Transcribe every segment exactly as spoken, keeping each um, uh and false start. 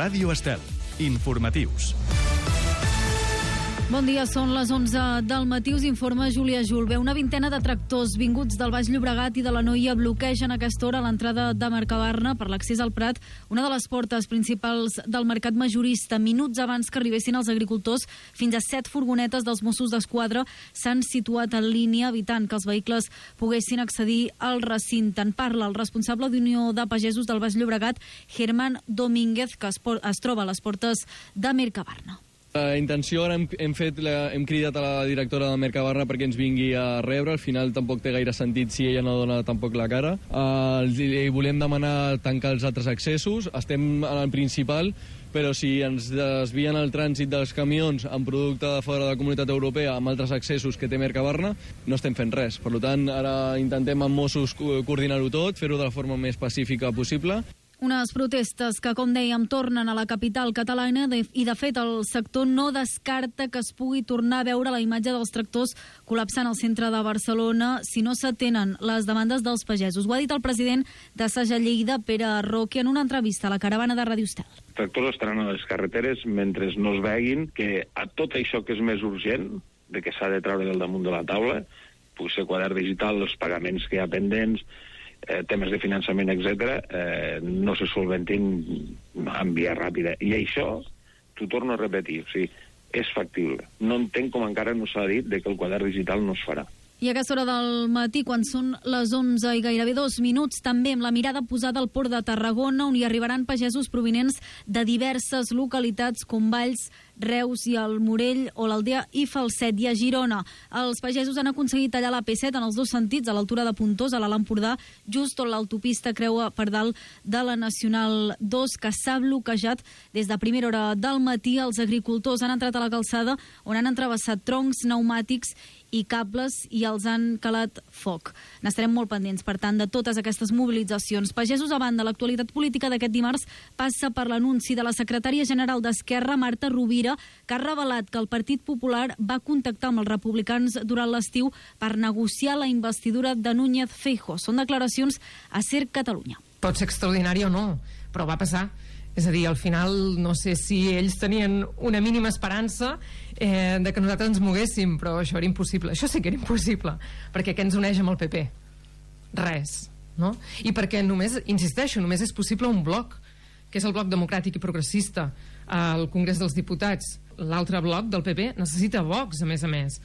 Ràdio Estel. Informatius. Bon dia, són les onze del matí, us informa Júlia Julve. Una vintena de tractors vinguts del Baix Llobregat i de l'Anoia bloquegen a aquesta hora l'entrada de Mercabarna per l'accés al Prat, una de les portes principals del mercat majorista. Minuts abans que arribessin els agricultors, fins a set furgonetes dels Mossos d'Esquadra s'han situat en línia, evitant que els vehicles poguessin accedir al recinte. En parla el responsable d'Unió de Pagesos del Baix Llobregat, Germán Domínguez, que es, es troba a les portes de Mercabarna. La intenció, ara hem, hem, fet la, hem cridat a la directora de Mercabarna perquè ens vingui a rebre. Al final tampoc té gaire sentit si ella no dona tampoc la cara. Uh, li volem demanar tancar els altres accessos. Estem en el principal, però si ens desvien el trànsit dels camions amb producte de fora de la Comunitat Europea amb altres accessos que té Mercabarna, no estem fent res. Per tant, ara intentem amb Mossos coordinar-ho tot, fer-ho de la forma més pacífica possible. Unes protestes que, com dèiem, tornen a la capital catalana i, de fet, el sector no descarta que es pugui tornar a veure la imatge dels tractors col·lapsant al centre de Barcelona si no s'atenen les demandes dels pagesos. Ho ha dit el president de Saja Lleida, Pere Roque, en una entrevista a la caravana de Ràdio Estel. Els tractors estaran a les carreteres mentre no es veguin que a tot això que és més urgent, de que s'ha de treure del damunt de la taula, pugui ser quadern digital, els pagaments que hi ha pendents, Eh, temes de finançament, etcètera, eh, no se solventin en via ràpida. I això, t'ho torno a repetir, o sigui, és factible. No entenc com encara no s'ha dit de que el quadern digital no es farà. I a aquesta hora del matí, quan són les onze i gairebé dos minuts, també amb la mirada posada al port de Tarragona, on hi arribaran pagesos provinents de diverses localitats com Valls, Reus i el Morell o l'Aldea i Falset. I a Girona, els pagesos han aconseguit tallar la P set en els dos sentits, a l'altura de Pontós, a l'Alt Empordà, just on l'autopista creua per dalt de la Nacional dos, que s'ha bloquejat des de primera hora del matí. Els agricultors han entrat a la calçada on han entrevessat troncs, pneumàtics i cables i els han calat foc. N'estarem molt pendents, per tant, de totes aquestes mobilitzacions. Pagesos a banda, l'actualitat política d'aquest dimarts passa per l'anunci de la secretària general d'Esquerra, Marta Rovira, que ha revelat que el Partit Popular va contactar amb els republicans durant l'estiu per negociar la investidura de Núñez Feijóo. Són declaracions a Ser Catalunya. Pot ser extraordinari o no, però va passar. És a dir, al final no sé si ells tenien una mínima esperança eh, de que nosaltres ens moguéssim, però això era impossible. Això sí que era impossible, perquè què ens uneix amb el P P? Res, no? I perquè només, insisteixo, només és possible un bloc, que és el bloc democràtic i progressista al Congrés dels Diputats. L'altre bloc del P P necessita Vox, a més a més.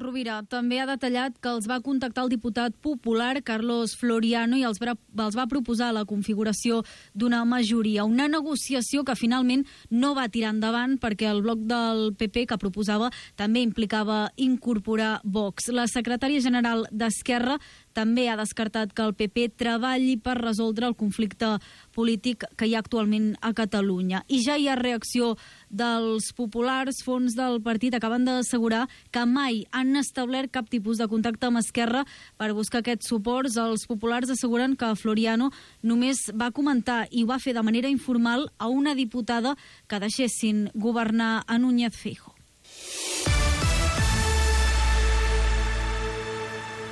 Rovira també ha detallat que els va contactar el diputat popular Carlos Floriano i els va, els va proposar la configuració d'una majoria. Una negociació que finalment no va tirar endavant perquè el bloc del P P que proposava també implicava incorporar Vox. La secretària general d'Esquerra també ha descartat que el P P treballi per resoldre el conflicte polític que hi ha actualment a Catalunya. I ja hi ha reacció dels populars. Fons del partit acaben d'assegurar que mai han establert cap tipus de contacte amb Esquerra per buscar aquests suports. Els populars asseguren que Floriano només va comentar i ho va fer de manera informal a una diputada que deixessin governar a Núñez Feijóo.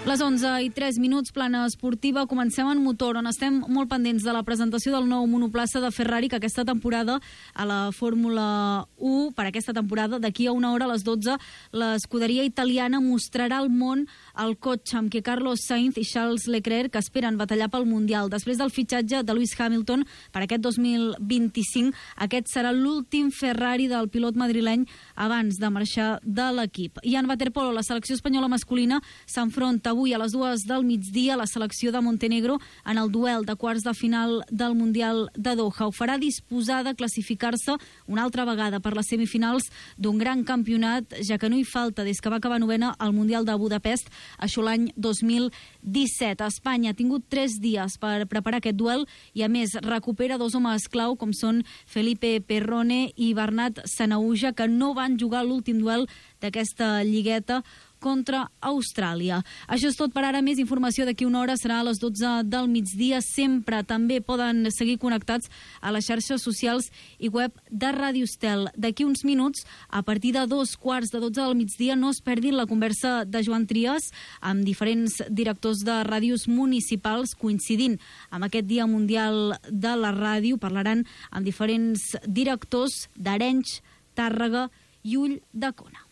Les onze i tres minuts, plana esportiva. Comencem en motor, on estem molt pendents de la presentació del nou monoplaça de Ferrari, que aquesta temporada a la Fórmula u, per aquesta temporada, d'aquí a una hora a les dotze, l'escuderia italiana mostrarà al món el cotxe amb què Carlos Sainz i Charles Leclerc esperen batallar pel Mundial. Després del fitxatge de Lewis Hamilton per aquest dos mil vint-i-cinc, aquest serà l'últim Ferrari del pilot madrileny abans de marxar de l'equip. I en waterpolo, la selecció espanyola masculina s'enfronta avui a les dues del migdia la selecció de Montenegro en el duel de quarts de final del Mundial de Doha. Ho farà disposada a classificar-se una altra vegada per les semifinals d'un gran campionat, ja que no hi falta des que va acabar novena al Mundial de Budapest, això l'any dos mil disset. Espanya ha tingut tres dies per preparar aquest duel i, a més, recupera dos homes clau com són Felipe Perrone i Bernat Sanahuja, que no van jugar l'últim duel d'aquesta lligueta contra Austràlia. Això és tot per ara. Més informació d'aquí una hora serà a les dotze del migdia. Sempre també poden seguir connectats a les xarxes socials i web de Ràdio Estel. D'aquí uns minuts, a partir de dos quarts de dotze del migdia, no es perdin la conversa de Joan Trias amb diferents directors de ràdios municipals coincidint amb aquest Dia Mundial de la Ràdio. Parlaran amb diferents directors d'Arenys, Tàrrega i Ulldecona.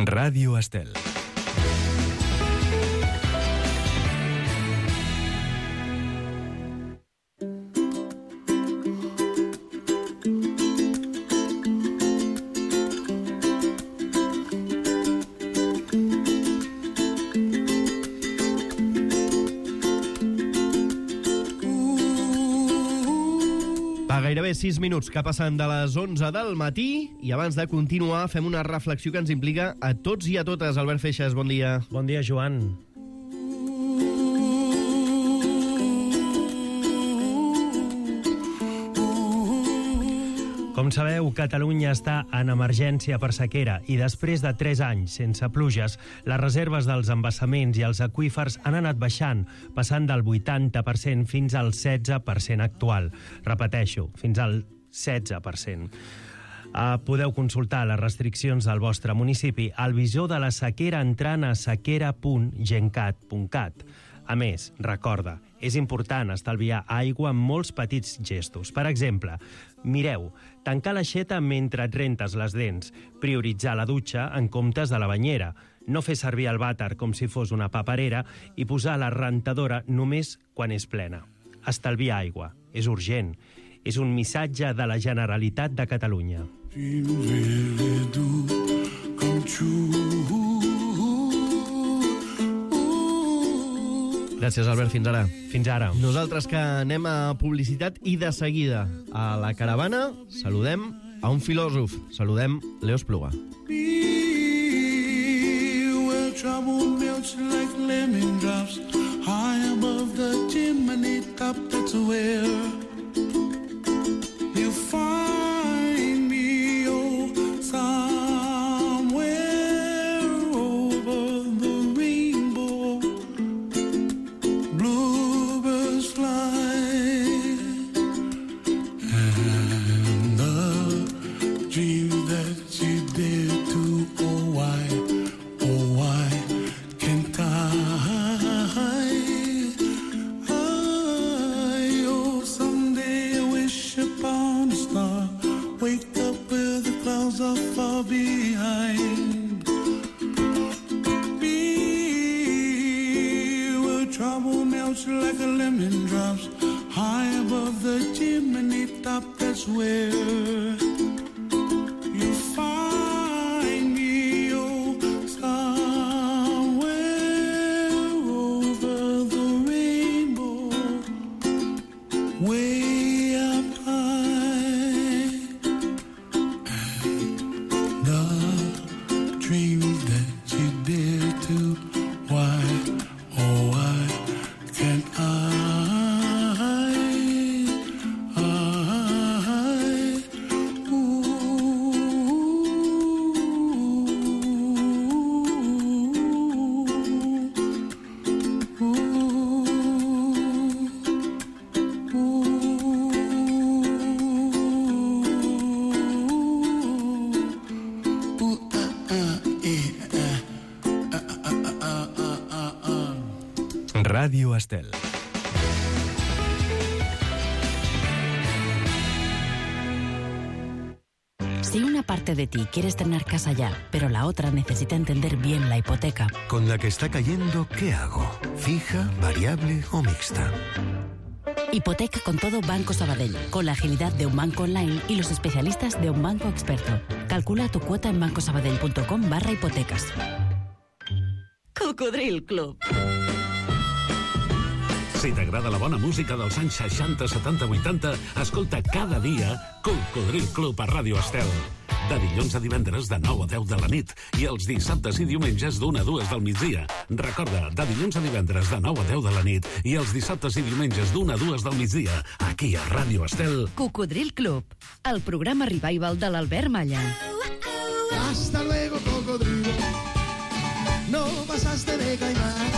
Ràdio Estel. Gairebé sis minuts que passen de les onze del matí i abans de continuar fem una reflexió que ens implica a tots i a totes. Albert Feixas, bon dia. Bon dia, Joan. Com sabeu, Catalunya està en emergència per sequera i després de tres anys sense pluges, les reserves dels embassaments i els aqüífers han anat baixant, passant del vuitanta per cent fins al setze per cent actual. Repeteixo, fins al setze per cent. Uh, podeu consultar les restriccions del vostre municipi al visor de la sequera entrant a sequera punt gencat punt cat. A més, recorda, és important estalviar aigua amb molts petits gestos. Per exemple, mireu, tancar l'aixeta mentre et rentes les dents, prioritzar la dutxa en comptes de la banyera, no fer servir el vàter com si fos una paperera i posar la rentadora només quan és plena. Estalviar aigua. És urgent. És un missatge de la Generalitat de Catalunya. Gràcies, Albert. Fins ara. Fins ara. Nosaltres que anem a publicitat i de seguida a la caravana saludem a un filòsof. Saludem Leo Espluga. Where trouble melts like lemon drops high above the chimney top, that's where you find me, oh, somewhere over the rainbow. Bluebirds fly and the dream that you dare to, oh why, oh why can't I? I oh someday I wish upon a star, wake up where the clouds are far behind. Be where trouble melts like a lemon drops high above the chimney top, that's where you find me, oh, somewhere over the rainbow, way up high. And the dreams that you dare to, why, oh why can't I? Radio Estel. Si una parte de ti quieres tener casa ya, pero la otra necesita entender bien la hipoteca. Con la que está cayendo, ¿qué hago? ¿Fija, variable o mixta? Hipoteca con todo Banco Sabadell, con la agilidad de un banco online y los especialistas de un banco experto. Calcula tu cuota en bancosabadell punto com barra hipotecas. Cocodril Club. Si t'agrada la bona música dels anys seixanta, setanta, vuitanta, escolta cada dia Cocodril Club a Ràdio Estel. De dilluns a divendres de nou a deu de la nit i els dissabtes i diumenges d'una a dues del migdia. Recorda, de dilluns a divendres de nou a deu de la nit i els dissabtes i diumenges d'una a dues del migdia, aquí a Ràdio Estel. Cocodril Club, el programa revival de l'Albert Malla. Hasta luego, cocodrilo. No pasaste de caimán.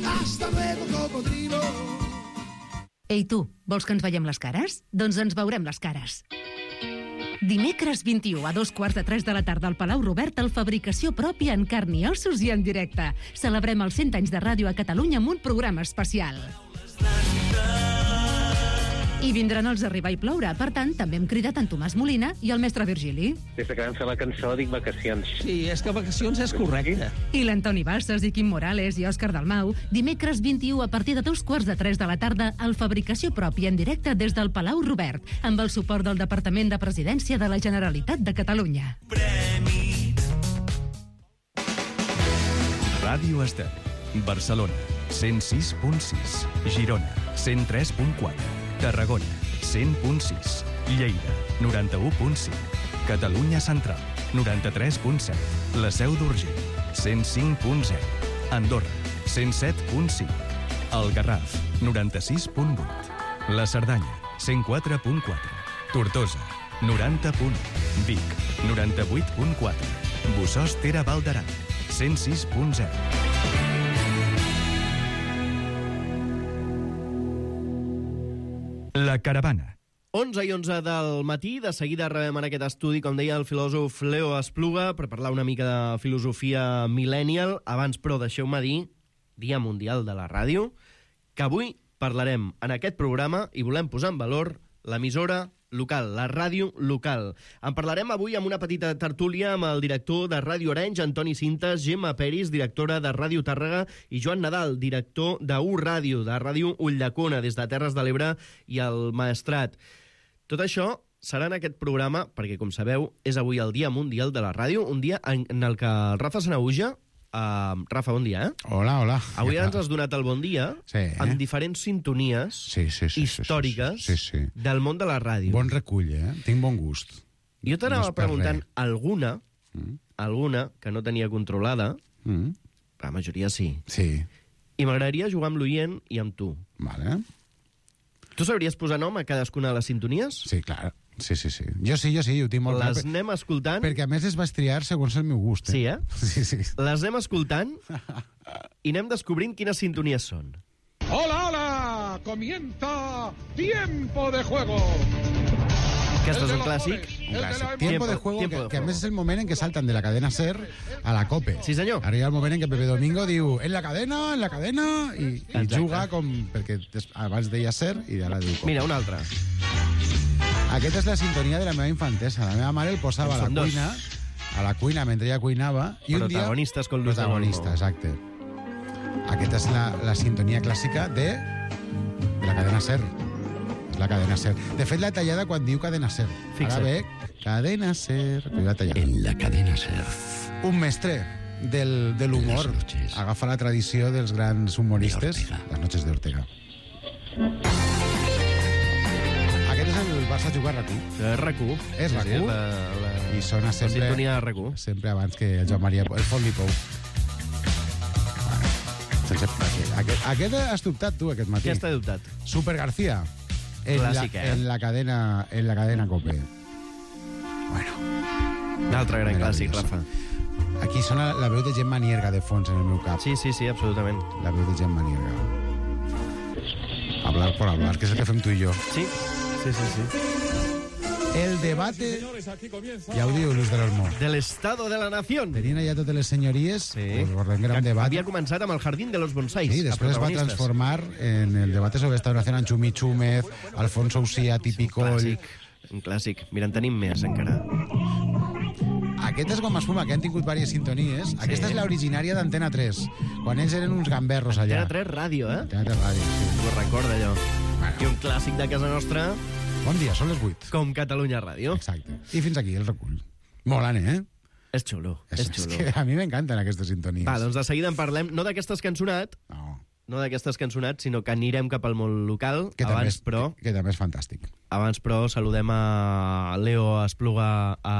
Hasta luego, cocodrilo. Ei, tu, vols que ens veiem les cares? Doncs ens veurem les cares. Dimecres vint-i-u a dos quarts de tres de la tarda al Palau Robert, el Fabricació Pròpia en carn i ossos i en directe. Celebrem els cent anys de ràdio a Catalunya amb un programa especial. I vindran els Arribar i Ploure. Per tant, també hem cridat en Tomàs Molina i el mestre Virgili. Des que vam fer la cançó dic vacacions. Sí, és que vacacions és correcte. I l'Antoni Bassas i Quim Morales i Òscar Dalmau. Dimecres vint-i-u a partir de dos quarts de tres de la tarda al Fabricació Pròpia en directe des del Palau Robert, amb el suport del Departament de Presidència de la Generalitat de Catalunya. Ràdio Estel. Barcelona, cent sis punt sis. Girona, cent tres punt quatre. Tarragona, cent punt sis. Lleida, noranta-u punt cinc. Catalunya Central, noranta-tres punt set. La Seu d'Urgell, cent cinc punt zero. Andorra, cent set punt cinc. El Garraf, noranta-sis punt vuit. La Cerdanya, cent quatre punt quatre. Tortosa, noranta punt u. Vic, noranta-vuit punt quatre. Bossòst Ter Val d'Aran, cent sis punt zero. La Caravana. onze i onze del matí, de seguida rebem en aquest estudi, com deia el filòsof Leo Espluga, per parlar una mica de filosofia millennial. Abans, però, deixeu-me dir, Dia Mundial de la Ràdio, que avui parlarem en aquest programa i volem posar en valor l'emissora local, la ràdio local. En parlarem avui amb una petita tertúlia amb el director de Ràdio Arenys, Antoni Cintas, Gemma Peris, directora de Ràdio Tàrrega, i Joan Nadal, director de U Ràdio, de Ràdio Ulldecona, des de Terres de l'Ebre i el Maestrat. Tot això serà en aquest programa, perquè, com sabeu, és avui el Dia Mundial de la Ràdio, un dia en, en el que el Rafa Sanaüja... Uh, Rafa, bon dia, eh? Hola, hola. Avui ens has donat el bon dia sí, eh? amb diferents sintonies sí, sí, sí, històriques sí, sí, sí. del món de la ràdio. Bon recull, eh? Tinc bon gust. Jo t'anava no preguntant alguna, mm. alguna que no tenia controlada, mm. la majoria sí. Sí. I m'agradaria jugar amb l'oient i amb tu. Vale. Tu sabries posar nom a cadascuna de les sintonies? Sí, clar. Sí, sí, sí. Jo sí, jo sí, ho tinc molt clar. Les anem escoltant... Perquè a més es va estriar segons el meu gust. Eh? Sí, eh? Sí, sí. Les anem escoltant i anem descobrint quines sintonies són. Hola, hola! Comienza Tiempo de Juego! Aquest és un clàssic. Un clàssic. Tiempo de Juego, que, que a més és el moment en què salten de la cadena SER a la COPE. Sí, senyor. Arriba el moment en què Pepe Domingo diu en la cadena, en la cadena, i, i juga com... Perquè abans deia SER i ara diu COPE. Mira, una altra. Aquesta és la sintonia de la meva infantesa. La meva mare el posava a la cuina, a la cuina mentre ella cuinava, i un dia... Protagonistes con Luis de Olmo. Protagonista, exacte. Aquesta és la, la sintonia clàssica de, de la cadena SER. La cadena SER. De fet, la tallada quan diu cadena SER. Fixa't. Ara ve cadena SER. La en la cadena SER. Un mestre del, de l'humor. Agafa la tradició dels grans humoristes. Les noches de Ortega. Aquest és el Barça jugar a RAC u. És RAC u. És RAC u. Sí, la, la, I sona sempre... La sintonia de RAC u. Sempre abans que el Joan Maria... El Font Lipou. Sense... Aquest, aquest has dubtat, tu, aquest matí. Què has dubtat? Super García. En Clàssic, la, eh? En la cadena, en la cadena COPE. Bueno. D'altre gran clàssic, Rafa. Aquí sona la veu de Gemma Nierga de fons en el meu cap. Sí, sí, sí, absolutament. La veu de Gemma Nierga. Hablar por hablar, que és el que fem tu i jo. Sí, sí, sí, sí. El debate... Ja ho diu Luis de l'Olmo. Del estado de la nación. Tenien allà totes les senyories, sí. Pues recordem que era un debat. Havia començat amb el Jardín de los Bonsais. Sí, després es va transformar en el debate sobre esta nación amb Chumi Chúmez, Alfonso Usía, típico... Un clàssic, un clàssic. Mira, en tenim més, encara. Aquest és Goma Espuma, que han tingut diverses sintonies. Sí. Aquesta és l'originària d'Antena tres, quan ells eren uns gamberros allà. Antena tres Ràdio, eh? Antena tres Ràdio, sí. Ho recorda, allò. Bueno. I un clàssic de casa nostra... Bon dia, són les vuit. Com Catalunya Ràdio. Exacte. I fins aquí el recull. Molant, eh? És xulo, és, és xulo. És que a mi m'encanten aquestes sintonies. Va, doncs de seguida en parlem, no d'aquestes que han sonat, no. no d'aquestes cançonats, sinó que anirem cap al món local. Que també abans, és, però, que, que també és fantàstic. abans, però, saludem a Leo Espluga a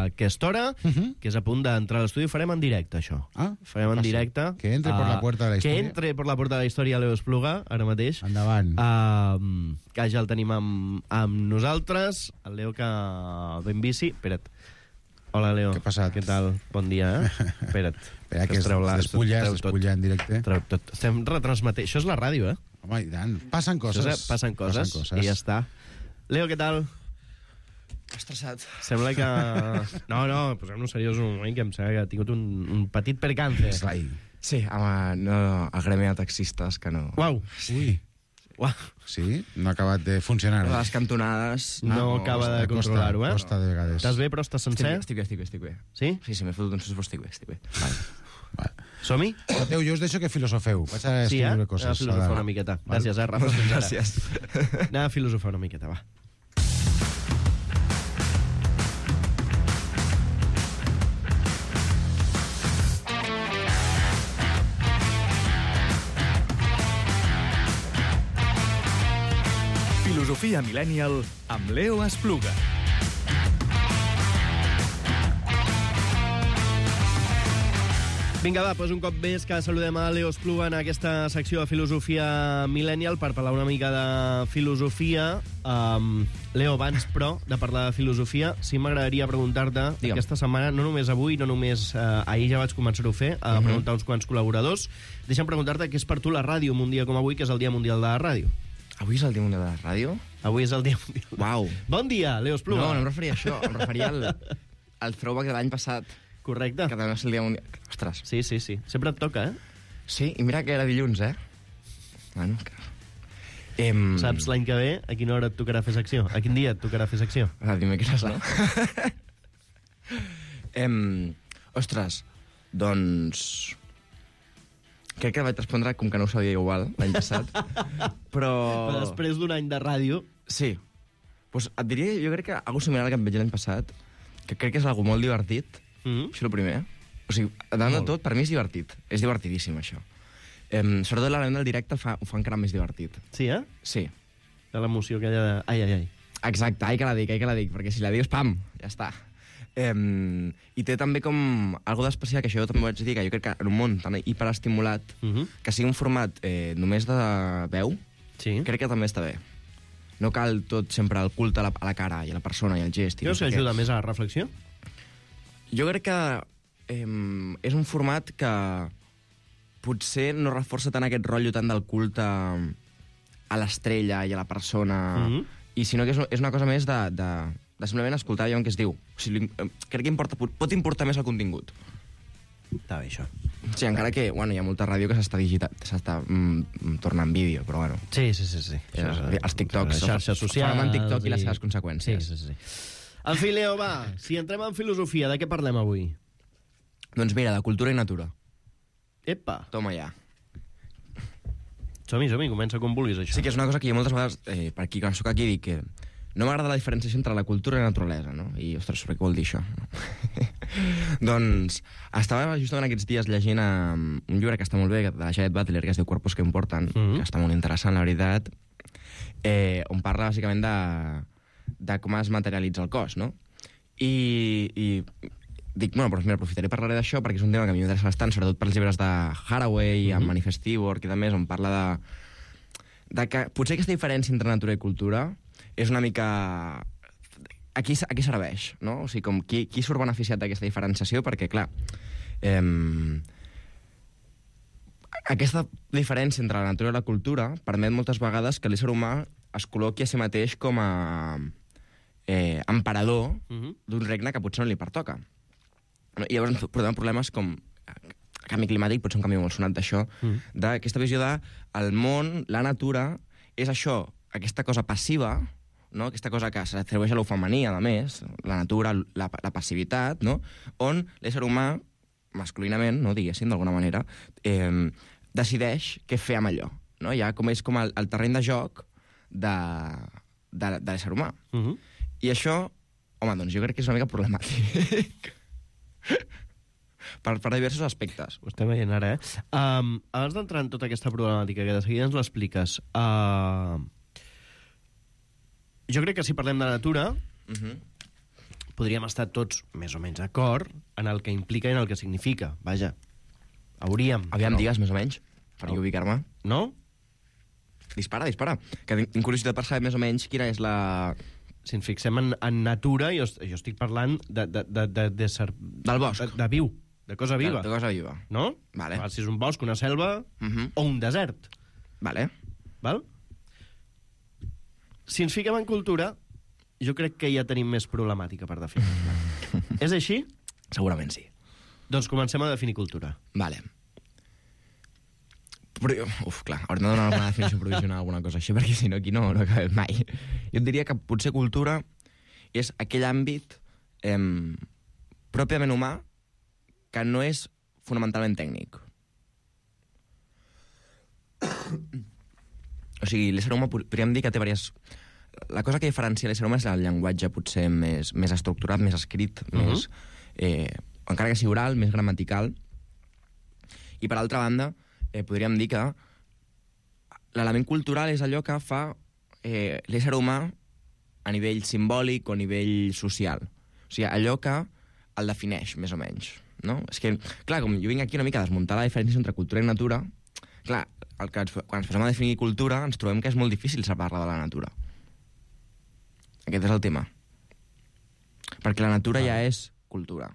aquesta hora, uh -huh. que és a punt d'entrar a l'estudi. Farem en directe, això. Ah, Farem en ah, sí. directe. Que entre per la puerta de la història. Que entre per la puerta de la història Leo Espluga, ara mateix. Endavant. Uh, que ja el tenim amb, amb nosaltres. El Leo que ve en bici. Espera't. Hola, Leo. Què ha passat? Què tal? Bon dia, eh? Espera't. Espera, que es despulla, es despulla en directe. Treu tot. Estem retransmetent. Això és la ràdio, eh? Home, i tant. Passen coses. És, passen coses. Passen coses. I ja està. Leo, què tal? Estressat. Sembla que... No, no, posem-nos seriós un moment, que em sembla que ha tingut un, un petit percance. Sí, home, no, el gremi de taxistes, que no... Uau. Ui. Uau. Sí? No ha acabat de funcionar. Les cantonades... No, no acaba de controlar-ho, eh? Costa de vegades. Estàs bé, però estàs sencer? Estic bé, estic bé, estic bé. Sí? Sí, sí, m'he fotut un sus, però estic bé, estic bé. Vale. Vale. Som-hi? Escolteu, jo us deixo que filosofeu. Vaig a Sí, escriure eh? coses. Anem a filosofar una miqueta. Gràcies, eh, Rafa? Fins ara. Gràcies. Anem a filosofar una miqueta, va. Filosofia Millennial amb Leo Espluga. Vinga, va, doncs un cop més que saludem a Leo Espluga en aquesta secció de Filosofia Millennial per parlar una mica de filosofia. Um, Leo, abans, però, de parlar de filosofia, sí m'agradaria preguntar-te, Digue'm. aquesta setmana, no només avui, no només uh, ahir ja vaig començar-ho a fer, a Mhm. preguntar uns quants col·laboradors, deixa'm preguntar-te què és per tu la ràdio un dia com avui, que és el Dia Mundial de la Ràdio. Avui és el dia mundial de la ràdio? Avui és el Dia Mundial. Uau. Bon dia, Leo Espluga. No, no em referia a això, em referia al, al throwback de l'any passat. Correcte. Que també és el dia mundial... Ostres. Sí, sí, sí. Sempre et toca, eh? Sí, i mira que era dilluns, eh? Bueno, que... Em... Saps l'any que ve a quina hora et tocarà fer secció? A quin dia et tocarà fer secció? El dimecres, no? em... Ostres, doncs... Crec que vaig respondre com que no ho sabia igual l'any passat, però... Però després d'un any de ràdio... Sí. Pues et diria, jo crec que algo similar al que em vaig l'any passat, que crec que és algo molt divertit, mm-hmm. Això és el primer. O sigui, davant de tot, per mi és divertit. És divertidíssim, això. Em, sobretot l'element del directe fa, ho fa encara més divertit. Sí, eh? Sí. De l'emoció que hi ha de... Ai, ai, ai. Exacte, ai que la dic, ai que la dic, perquè si la dius, pam, ja està. Um, I té també com algo d'especial, que això jo també vaig dir, que jo crec que en un món tan hiperestimulat, uh-huh. que sigui un format eh, només de veu, sí. crec que també està bé. No cal tot sempre el culte a la, a la cara i a la persona i al gest. Creus que ajuda més a la reflexió? Jo crec que eh, és un format que potser no reforça tant aquest rotllo tant del culte a l'estrella i a la persona, Mhm. i sinó que és, és una cosa més de, de, de simplement escoltar allò que es diu. O sigui, eh, crec que importa, pot importar més el contingut. Està bé, això. Sí, encara que bueno, hi ha molta ràdio que s'està digita- s'està mm, tornant vídeo, però bueno. Sí, sí, sí. sí. Eh, els TikToks. Les xarxes socials. Farem en TikTok i les seves conseqüències. Sí, sí, sí. En fi, Leo, va, si entrem en filosofia, de què parlem avui? Doncs mira, de cultura i natura. Epa. Toma ja. Som-hi, som-hi, comença com vulguis, això. Sí, que és una cosa que jo moltes vegades, eh, per aquí, quan soc aquí, dic que no m'agrada la diferenciació entre la cultura i la naturalesa, no? I, ostres, sobre què vol dir això? Doncs estava justament aquests dies llegint um, un llibre que està molt bé, de la Janet Butler, que es diu Cuerpos que importan, mm-hmm. que està molt interessant, la veritat, eh, on parla, bàsicament, de, de com es materialitza el cos, no? I, i dic, bueno, doncs mira, aprofitaré i parlaré d'això perquè és un tema que a mi m'interessa bastant, sobretot pels llibres de Haraway, mm-hmm. amb Manifest Work i també, on parla de, de que potser aquesta diferència entre natura i cultura és una mica... A qui, a qui serveix, no? O sigui, com qui, qui surt beneficiat d'aquesta diferenciació? Perquè, clar, eh, aquesta diferència entre la natura i la cultura permet moltes vegades que l'ésser humà es col·loqui a si mateix com a eh, emperador Mhm. d'un regne que potser no li pertoca. I llavors ens portem problemes com el canvi climàtic, potser un canvi molt sonat d'això, Mm. d'aquesta visió de el món, la natura, és això, aquesta cosa passiva, no? Aquesta cosa que s'atribueix a lo femení, a més, la natura, la, la passivitat, no? On l'ésser humà, masculinament, no, diguéssim, d'alguna manera, eh, decideix què fer amb allò. No? Ja com és com el, el terreny de joc de, de, de l'ésser humà. Mhm. I això, home, doncs jo crec que és una mica problemàtic. per, per diversos aspectes. Ho estem veient ara, eh? Um, abans d'entrar en tota aquesta problemàtica, que de seguida ens l'expliques, uh, jo crec que si parlem de natura, uh-huh. podríem estar tots més o menys d'acord en el que implica i en el que significa. Vaja, hauríem. Aviam, no? digues, més o menys, per no. ubicar-me. No? Dispara, dispara. Que tinc curiositat per saber més o menys quina és la... Si ens fixem en, en natura, jo, jo estic parlant de, de, de, de, de ser... Del bosc. De, de viu, de cosa viva. De, de cosa viva. No? Vale. Val, si és un bosc, una selva uh-huh. o un desert. Vale. Val? Si ens fiquem en cultura, jo crec que ja tenim més problemàtica per definir-la. És així? Segurament sí. Doncs comencem a definir cultura. Vale. Però, uf, clar, haurem de donar alguna definició provisional, alguna cosa així, perquè si no aquí no, no acabem mai. Jo et diria que potser cultura és aquell àmbit eh, pròpiament humà que no és fonamentalment tècnic. O sigui, l'ésser humà podríem dir que té diverses... La cosa que diferencia l'ésser humà és el llenguatge potser més, més estructurat, més escrit, uh-huh. més, eh, encara que sigui oral, més gramatical. I per altra banda, eh, podríem dir que l'element cultural és allò que fa eh, l'ésser humà a nivell simbòlic o a nivell social. O sigui, allò que el defineix, més o menys. No? És que, clar, com jo vinc aquí una mica a desmuntar la diferència entre cultura i natura, clar, el que ens, quan ens posem a definir cultura ens trobem que és molt difícil separar-la de la natura. Aquest és el tema. Perquè la natura ah. ja és cultura.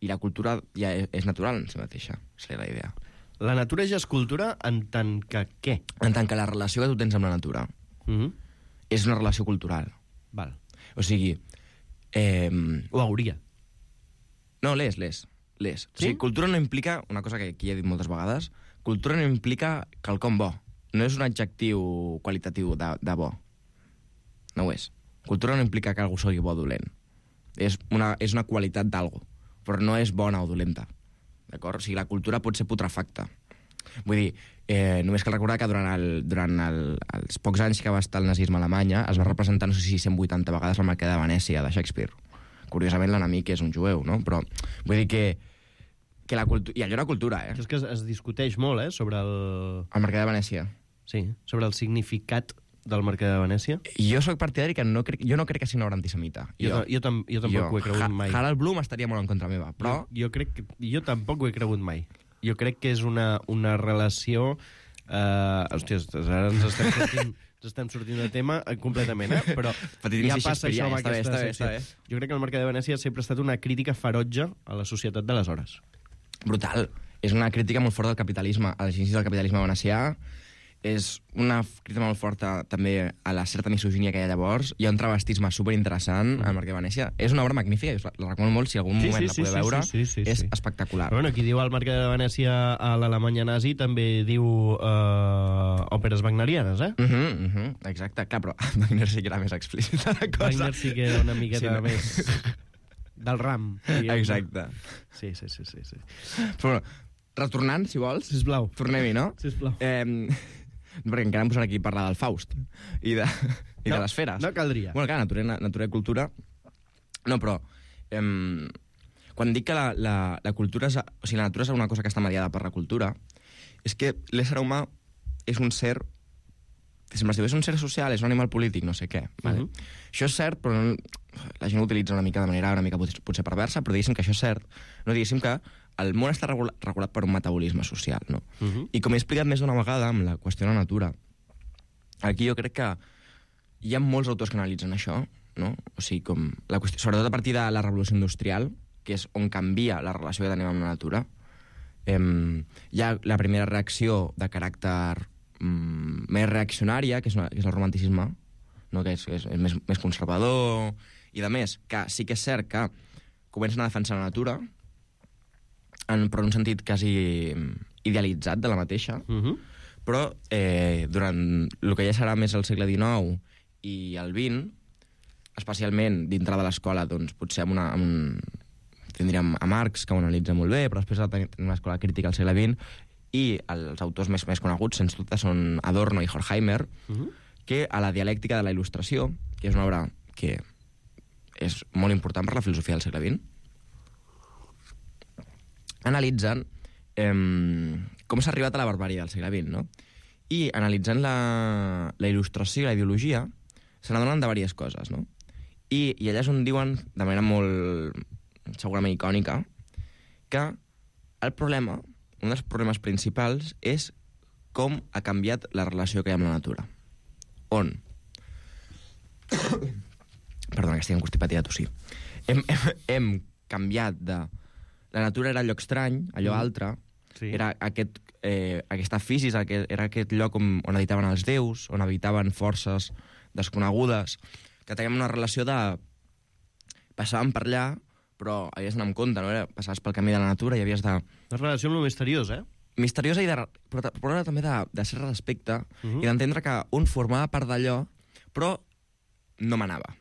I la cultura ja és, és natural en si mateixa. Seria la idea. La natura ja és cultura en tant que què? En tant que la relació que tu tens amb la natura mm-hmm. és una relació cultural. Val. O sigui... Eh... Ho hauria. No, l'és, l'és. l'és. Sí? O sigui, cultura no implica, una cosa que aquí he dit moltes vegades, cultura no implica quelcom bo. No és un adjectiu qualitatiu de, de bo. No ho és. Cultura no implica que algú sigui bo o dolent. És una, és una qualitat d'algú, però no és bona o dolenta. D'acord? O sigui, la cultura pot ser putrefacta. Vull dir, eh, només cal recordar que durant, el, durant el, els pocs anys que va estar el nazisme a Alemanya es va representar, no sé si cent vuitanta vegades la Mercader de Venècia, de Shakespeare. Curiosament, l'enemic és un jueu, no? Però vull dir que, que la cultura... I allò era cultura, eh? Això és que es, es discuteix molt, eh? Sobre el... El Mercader de Venècia. Sí, sobre el significat del Mercader de Venècia. Jo sóc partidari que no crec, jo no crec que sigui una obra antisemita. Jo, jo, jo, tam, jo tampoc jo, ho he cregut ha, mai. Harald Blum estaria molt en contra meva, però... Jo, jo crec que... Jo tampoc ho he cregut mai. Jo crec que és una, una relació... Uh, hòstia, ara ens estem sortint, ens estem sortint de tema completament, eh? Però ja passa això amb aquesta secció. Jo crec que el Mercader de Venècia sempre ha estat una crítica ferotge a la societat d'aleshores. Brutal. És una crítica molt forta del capitalisme, a les inicis del capitalisme venecià. És una crítica molt forta també a la certa misogínia que hi ha llavors. Hi ha un travestisme superinteressant al Mercader de Venècia. És una obra magnífica, la recomano molt, si algun sí, moment sí, la podeu sí, veure. Sí, sí, sí, és sí. espectacular. Bueno, qui diu el Mercader de Venècia a l'Alemanya nazi també diu uh, òperes wagnerianes, eh? Uh -huh, uh -huh. Exacte, clar, però Wagner sí que era més explícita la cosa. Wagner sí que era una miqueta sí, no? més del ram. Diguem. Exacte. Sí, sí, sí, sí, sí. Però, retornant, si vols. Sisplau. Tornem-hi, no? Sisplau. Eh... perquè encara em posaré aquí a parlar del Faust i de, i no, de les feres. No caldria. Bueno, clar, natura, natura i cultura... No, però... Eh, quan dic que la, la, la cultura és... O sigui, la natura és una cosa que està mediada per la cultura, és que l'ésser humà és un ser... Si és un ser social, és un animal polític, no sé què. Vale? Uh-huh. Això és cert, però no, la gent ho utilitza una mica de manera una mica potser perversa, però diguéssim que això és cert. No diguéssim que el món està regulat, regulat per un metabolisme social, no? Uh-huh. I com he explicat més d'una vegada amb la qüestió de la natura, aquí jo crec que hi ha molts autors que analitzen això, no? O sigui, com la qüestió, sobretot a partir de la revolució industrial, que és on canvia la relació que tenim amb la natura, eh, hi ha la primera reacció de caràcter mm, més reaccionària, que és, una, que és el romanticisme, no? Que és, és, és més, més conservador, i de més, que sí que és cert que comencen a defensar la natura, en, però en un sentit quasi idealitzat de la mateixa, uh-huh. però eh, durant el que ja serà més el segle dinou i el vint, especialment dintre de l'escola, doncs potser amb una, amb, tindríem a Marx, que ho analitza molt bé, però després tenim una escola crítica al segle vint, i els autors més, més coneguts, sens dubte, són Adorno i Horkheimer, uh-huh. que a la dialèctica de la il·lustració, que és una obra que és molt important per la filosofia del segle vint, analitzant eh, com s'ha arribat a la barbària del segle vint, no? I analitzant la, la il·lustració i la ideologia, se n'adonen de diverses coses, no? I, I allà és on diuen, de manera molt, segurament icònica, que el problema, un dels problemes principals, és com ha canviat la relació que hi ha amb la natura. On? Perdona, que estic encostipat i de tossir. Hem, hem, hem canviat de... La natura era lloc estrany, allò mm. altre, sí. Era aquest, eh, aquesta fisis, aquest, era aquest lloc on, on habitaven els déus, on habitaven forces desconegudes, que teníem una relació de... Passàvem per allà, però havies d'anar amb compte, no? Era, passaves pel camí de la natura i havies de... Una relació amb lo misteriós, eh? Misteriosa, i de, però, però era també de, de ser respecte uh -huh. i d'entendre que un formava part d'allò, però no manava.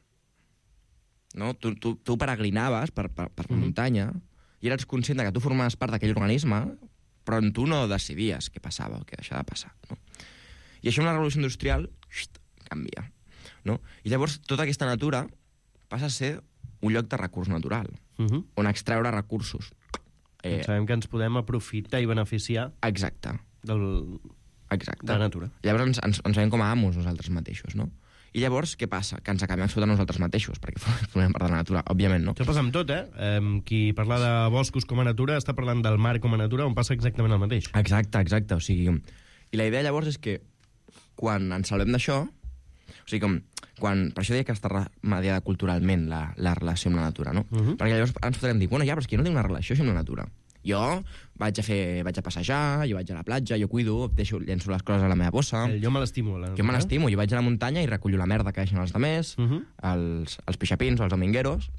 No? Tu, tu, tu peregrinaves per, per, per la uh -huh. muntanya i eres conscient de que tu formaves part d'aquell organisme, però tu no decidies què passava o què deixava de passar. No? I això amb la revolució industrial xt, canvia. No? I llavors tota aquesta natura passa a ser un lloc de recurs natural, uh -huh. on extreure recursos. Eh, sabem que ens podem aprofitar i beneficiar exacte. Del, exacte. de la natura. Llavors ens, ens, ens veiem com a amos nosaltres mateixos, no? I llavors, què passa? Que ens acabem explotant nosaltres mateixos, perquè formem part de la natura, òbviament, no? Això passa amb tot, eh? eh? Qui parla de boscos com a natura està parlant del mar com a natura, on passa exactament el mateix. Exacte, exacte. O sigui, i la idea llavors és que quan ens salvem d'això, o sigui, com, quan, per això deia que està mediada culturalment la, la relació amb la natura, no? Uh -huh. Perquè llavors ens podrem dir, bueno, ja, però és que jo no tinc una relació amb la natura. Jo vaig a fer, vaig a passejar, jo vaig a la platja, jo cuido, deixo, llenço les coses a la meva bossa. El jo me l'estimo. La jo me l'estimo, jo vaig a la muntanya i recullo la merda que deixen els altres, uh -huh. els, els pixapins o els domingueros.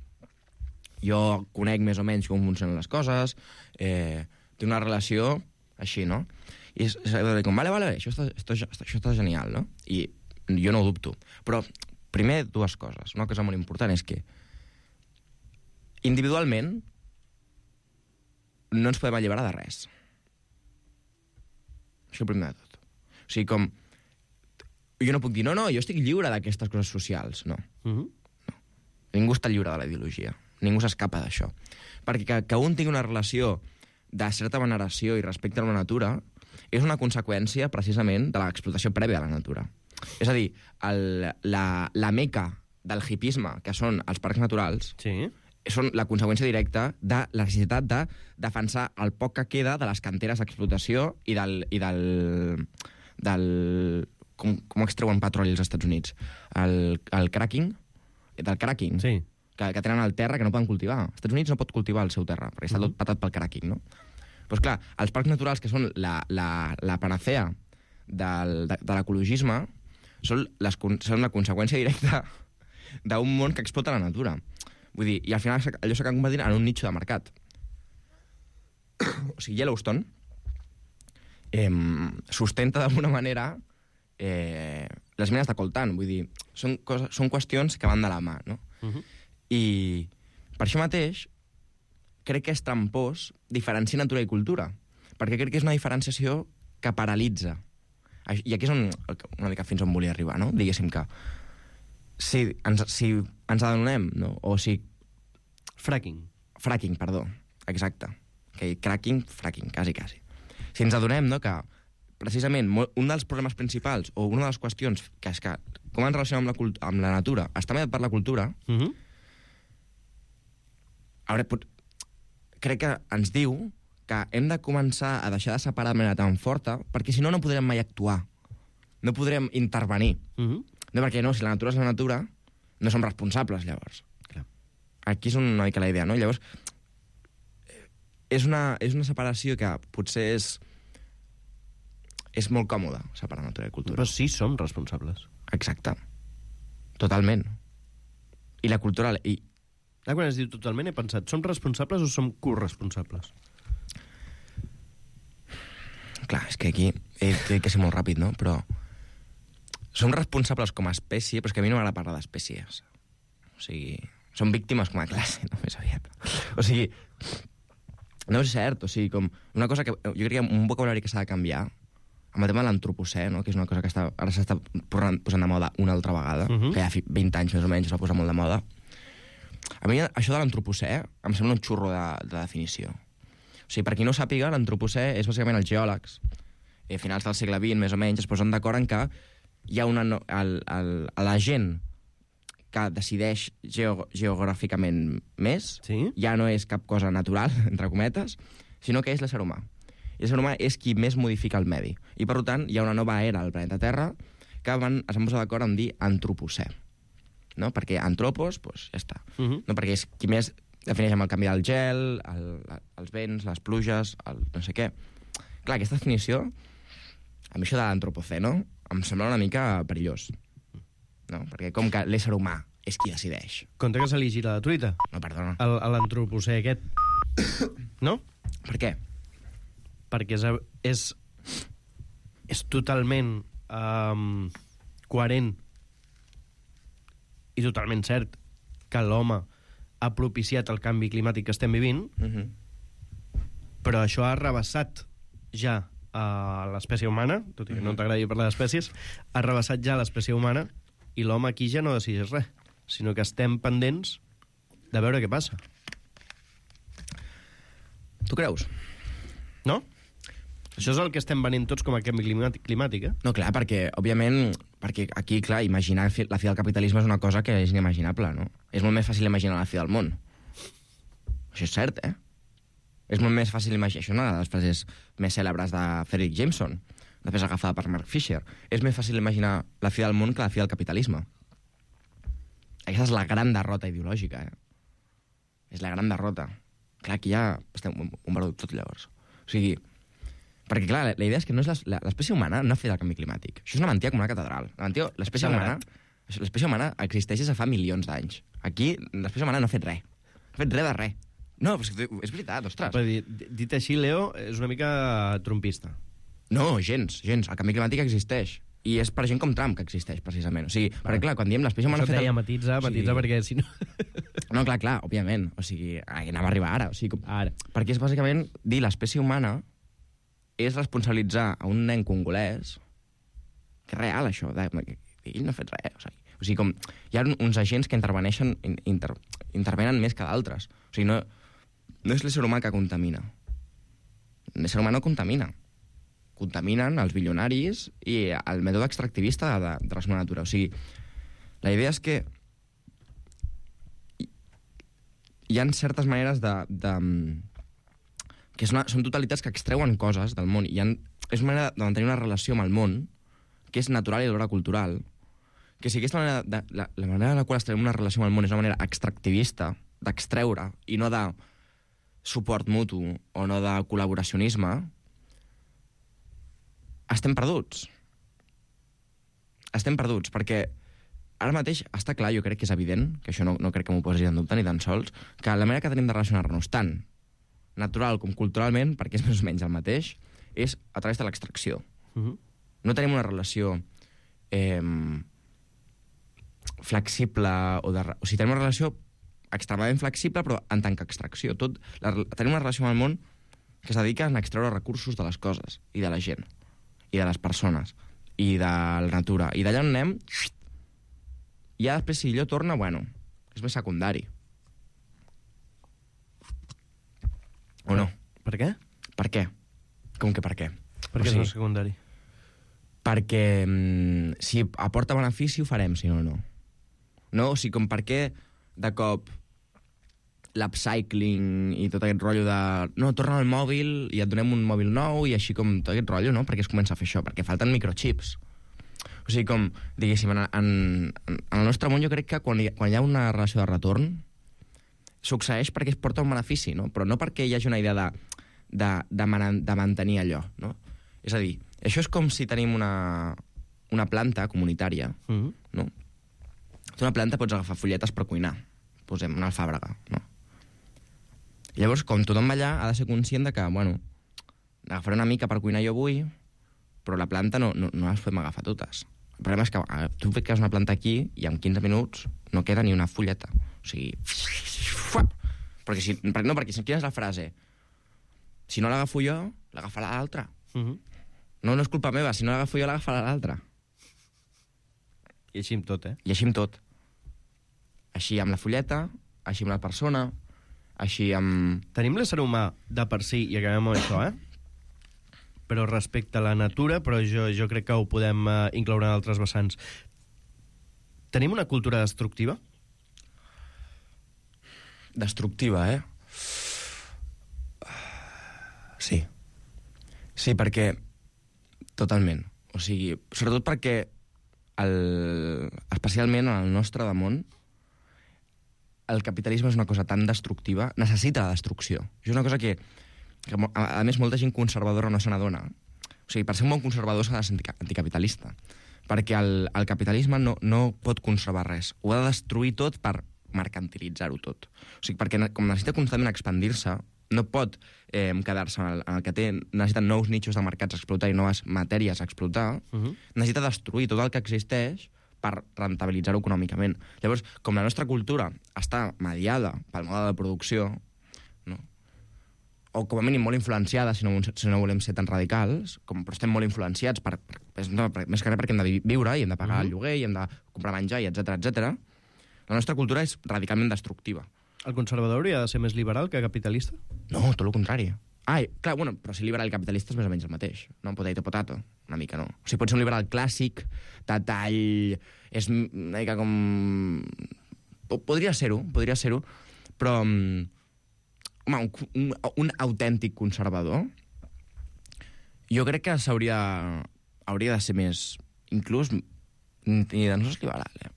Jo conec més o menys com funcionen les coses, eh, tinc una relació així, no? I és, és com, vale, vale, això està, això, això està genial, no? I jo no ho dubto. Però, primer, dues coses. Una cosa molt important és que individualment no ens podem alliberar de res. Això primer de tot. O sigui, com... Jo no puc dir, no, no, jo estic lliure d'aquestes coses socials. No. Uh -huh. no. Ningú està lliure de la ideologia. Ningú s'escapa d'això. Perquè que, que un tingui una relació de certa veneració i respecte a la natura és una conseqüència, precisament, de l'explotació prèvia a la natura. És a dir, el, la, la meca del hipisme, que són els parcs naturals, sí. són la conseqüència directa de la necessitat de defensar el poc que queda de les canteres d'explotació i del... I del, del com, com extreuen petroli als Estats Units? El, el cracking? Del cracking? Sí. Que, que tenen el terra que no poden cultivar. Els Estats Units no pot cultivar el seu terra, perquè està tot patat pel cracking, no? Doncs clar, els parcs naturals, que són la, la, la panacea del, de, de l'ecologisme, són, les, són la conseqüència directa d'un món que explota la natura. Vull dir, i al final allò s'acaba convertint en un nicho de mercat. O sigui, Yellowstone eh, sustenta d'alguna manera eh, les mines de coltan. Vull dir, són, coses, són qüestions que van de la mà, no? Uh-huh. I per això mateix crec que és trampós diferenciar natura i cultura, perquè crec que és una diferenciació que paralitza. I aquí és on, una mica fins on volia arribar, no? Diguéssim que si ens, si ens adonem, no? O si... Fracking. Fracking, perdó. Exacte. Okay, cracking, fracking, quasi, quasi. Si ens adonem, no?, que precisament un dels problemes principals o una de les qüestions que és que com ens relacionem amb la, amb la natura està mediat per la cultura, uh-huh. ara, crec que ens diu que hem de començar a deixar de separar de manera tan forta, perquè si no, no podrem mai actuar. No podrem intervenir. Uh-huh. No, perquè no, si la natura és la natura, no som responsables, llavors. Clar. Aquí és una mica la idea, no? Llavors, és una, és una separació que potser és... és molt còmoda, separar natura i cultura. Però sí som responsables. Exacte. Totalment. I la cultura... I... Ah, quan es diu totalment, he pensat, som responsables o som corresponsables? Clar, és que aquí he, he de ser molt ràpid, no? Però som responsables com a espècie, però és que a mi no m'agrada parlar d'espècies. O sigui, som víctimes com a classe, no? Més aviat. O sigui, no és cert, o sigui, com una cosa que... Jo crec que un vocabulari que s'ha de canviar, amb el tema de l'antropocè, no?, que és una cosa que està, ara s'està posant de moda una altra vegada, uh-huh. que ja fa vint anys més o menys es va posar molt de moda. A mi això de l'antropocè em sembla un xurro de, de definició. O O sigui, per qui no ho sàpiga, l'antropocè és bàsicament els geòlegs. A finals del segle vint, més o menys, es posen d'acord en que hi ha una... No, el, el, la gent que decideix geo, geogràficament més, sí? ja no és cap cosa natural, entre cometes, sinó que és l'ésser humà. I l'ésser humà és qui més modifica el medi. I, per tant, hi ha una nova era al planeta Terra que van, es van posar d'acord en dir antropocè. No? Perquè antropos, doncs, ja està. Uh -huh. No? Perquè és qui més defineix amb el canvi del gel, el, els vents, les pluges, el no sé què. Clar, aquesta definició, a mi això de l'antropocè, no? Em sembla una mica perillós. No? Perquè com que l'ésser humà és qui decideix. Compte que se li gira la truita. No, perdona. L'antropocè aquest. No? Per què? Perquè és, és, és totalment um, coherent i totalment cert que l'home ha propiciat el canvi climàtic que estem vivint, uh-huh. però això ha rebassat ja a l'espècie humana, tot i que no t'agradi parlar d'espècies, ha rebassat ja l'espècie humana i l'home aquí ja no decideix res, sinó que estem pendents de veure què passa. Tu creus? No? Això és el que estem venint tots com a canvi climàtic, climàtic eh? No, clar, perquè, òbviament, perquè aquí, clar, imaginar la fi del capitalisme és una cosa que és inimaginable, no? És molt més fàcil imaginar la fi del món. Això és cert, eh? És molt més fàcil imaginar... Això és una de les frases més cèlebres de Frederick Jameson, després agafada per Mark Fisher. És més fàcil imaginar la fi del món que la fi del capitalisme. Aquesta és la gran derrota ideològica, eh? És la gran derrota. Clar, aquí ja estem un barut tot, llavors. O sigui... Perquè, clar, la idea és que no és l'espècie humana no ha fet el canvi climàtic. Això és una mentida com una catedral. L'espècie humana, l'espècie humana existeix des de fa milions d'anys. Aquí, l'espècie humana no ha fet res. No ha fet res de res. No, però és, que és veritat, ostres. Però dit, dit així, Leo, és una mica trumpista. No, gens, gens. El canvi climàtic existeix. I és per gent com Trump que existeix, precisament. O sigui, perquè, clar, quan diem l'espècie humana... Això deia, matitza, matitza, perquè si no... No, clar, clar, òbviament. O sigui, anava a arribar ara. O sigui, ara. Perquè és bàsicament dir l'espècie humana és responsabilitzar a un nen congolès, que és real, això, de, ell no ha fet res. O sigui, o sigui com, hi ha uns agents que interveneixen, inter, intervenen més que d'altres. O sigui, no, no és l'ésser humà que contamina. L'ésser humà no contamina. Contaminen els bilionaris i el mètode extractivista de, de la seva natura. O sigui, la idea és que hi ha certes maneres de... de que és una, són totalitats que extreuen coses del món. I ha, és una manera de mantenir una relació amb el món que és natural i alhora cultural. Que si aquesta manera de, la, la manera en la qual extreem una relació amb el món és una manera extractivista, d'extreure, i no de suport mutu o no de col·laboracionisme, estem perduts. Estem perduts, perquè ara mateix està clar, jo crec que és evident, que això no, no crec que m'ho posis en dubte ni tan sols, que la manera que tenim de relacionar-nos tant natural com culturalment, perquè és més o menys el mateix, és a través de l'extracció. Uh-huh. No tenim una relació eh, flexible o de... O sigui, tenim una relació extremadament flexible, però en tant que extracció. Tot, la, tenim una relació amb el món que es dedica a extreure recursos de les coses, i de la gent, i de les persones, i de la natura. I d'allà on anem, i ja després, si allò torna, bueno, és més secundari. O no? Per què? Per què? Com que per què? Per què és més secundari? Perquè mm, si aporta benefici ho farem, si no, no. No? O sigui, com per què de cop l'upcycling i tot aquest rotllo de... No, torna al mòbil i et donem un mòbil nou i així com tot aquest rotllo, no? Per què es comença a fer això? Perquè falten microchips. O sigui, com, diguéssim, en, en, en el nostre món jo crec que quan hi, quan hi ha una relació de retorn succeeix perquè es porta un benefici, no? Però no perquè hi hagi una idea de, de, de, man, de mantenir allò, no? És a dir, això és com si tenim una, una planta comunitària, mm-hmm. no? Tu una planta pots agafar fulletes per cuinar, posem una alfàbrega, no? I llavors, com tothom va allà, ha de ser conscient de que, bueno, agafaré una mica per cuinar jo avui, però la planta no, no, no les podem agafar totes. El problema és que eh, tu fiques una planta aquí i en quinze minuts no queda ni una fulleta. O sigui... Perquè si, no, perquè si quina és la frase? Si no l'agafo jo, l'agafarà l'altre. Uh-huh. No, no és culpa meva, si no l'agafo jo, l'agafarà l'altre. I així amb tot, eh? I així amb tot. Així amb la fulleta, així amb la persona, així amb... Tenim l'ésser humà de per si, i acabem amb això, eh? Però respecte a la natura, però jo, jo crec que ho podem uh, incloure en altres vessants. Tenim una cultura destructiva? Destructiva, eh? Sí. Sí, perquè... Totalment. O sigui, sobretot perquè el, especialment en el nostre damunt el capitalisme és una cosa tan destructiva, necessita la destrucció. És una cosa que, que a, a més, molta gent conservadora no se n'adona. O sigui, per ser un bon conservador s'ha de ser anticapitalista, perquè el, el capitalisme no, no pot conservar res. Ho ha de destruir tot per mercantilitzar-ho tot. O sigui, perquè com necessita constantment expandir-se, no pot eh, quedar-se en, el, en el que té, necessita nous nichos de mercats a explotar i noves matèries a explotar, uh -huh. necessita destruir tot el que existeix per rentabilitzar-ho econòmicament. Llavors, com la nostra cultura està mediada pel mode de producció, no? O com a mínim molt influenciada, si no, si no volem ser tan radicals, com, però estem molt influenciats, per, per, no, per, més que res perquè hem de viure i hem de pagar uh -huh. el lloguer i hem de comprar menjar, i etcètera etcètera. La nostra cultura és radicalment destructiva. El conservador hauria de ser més liberal que capitalista? No, tot el contrari. Ah, clar, bueno, però si liberal i capitalista és més o menys el mateix. No? Potato, potato. Una mica no. O sigui, pot ser un liberal clàssic, de tall... És una mica com... Podria ser-ho, podria ser-ho, però... Home, un, un, un autèntic conservador jo crec que s'hauria hauria de ser més... Inclús ni de no és liberal, eh?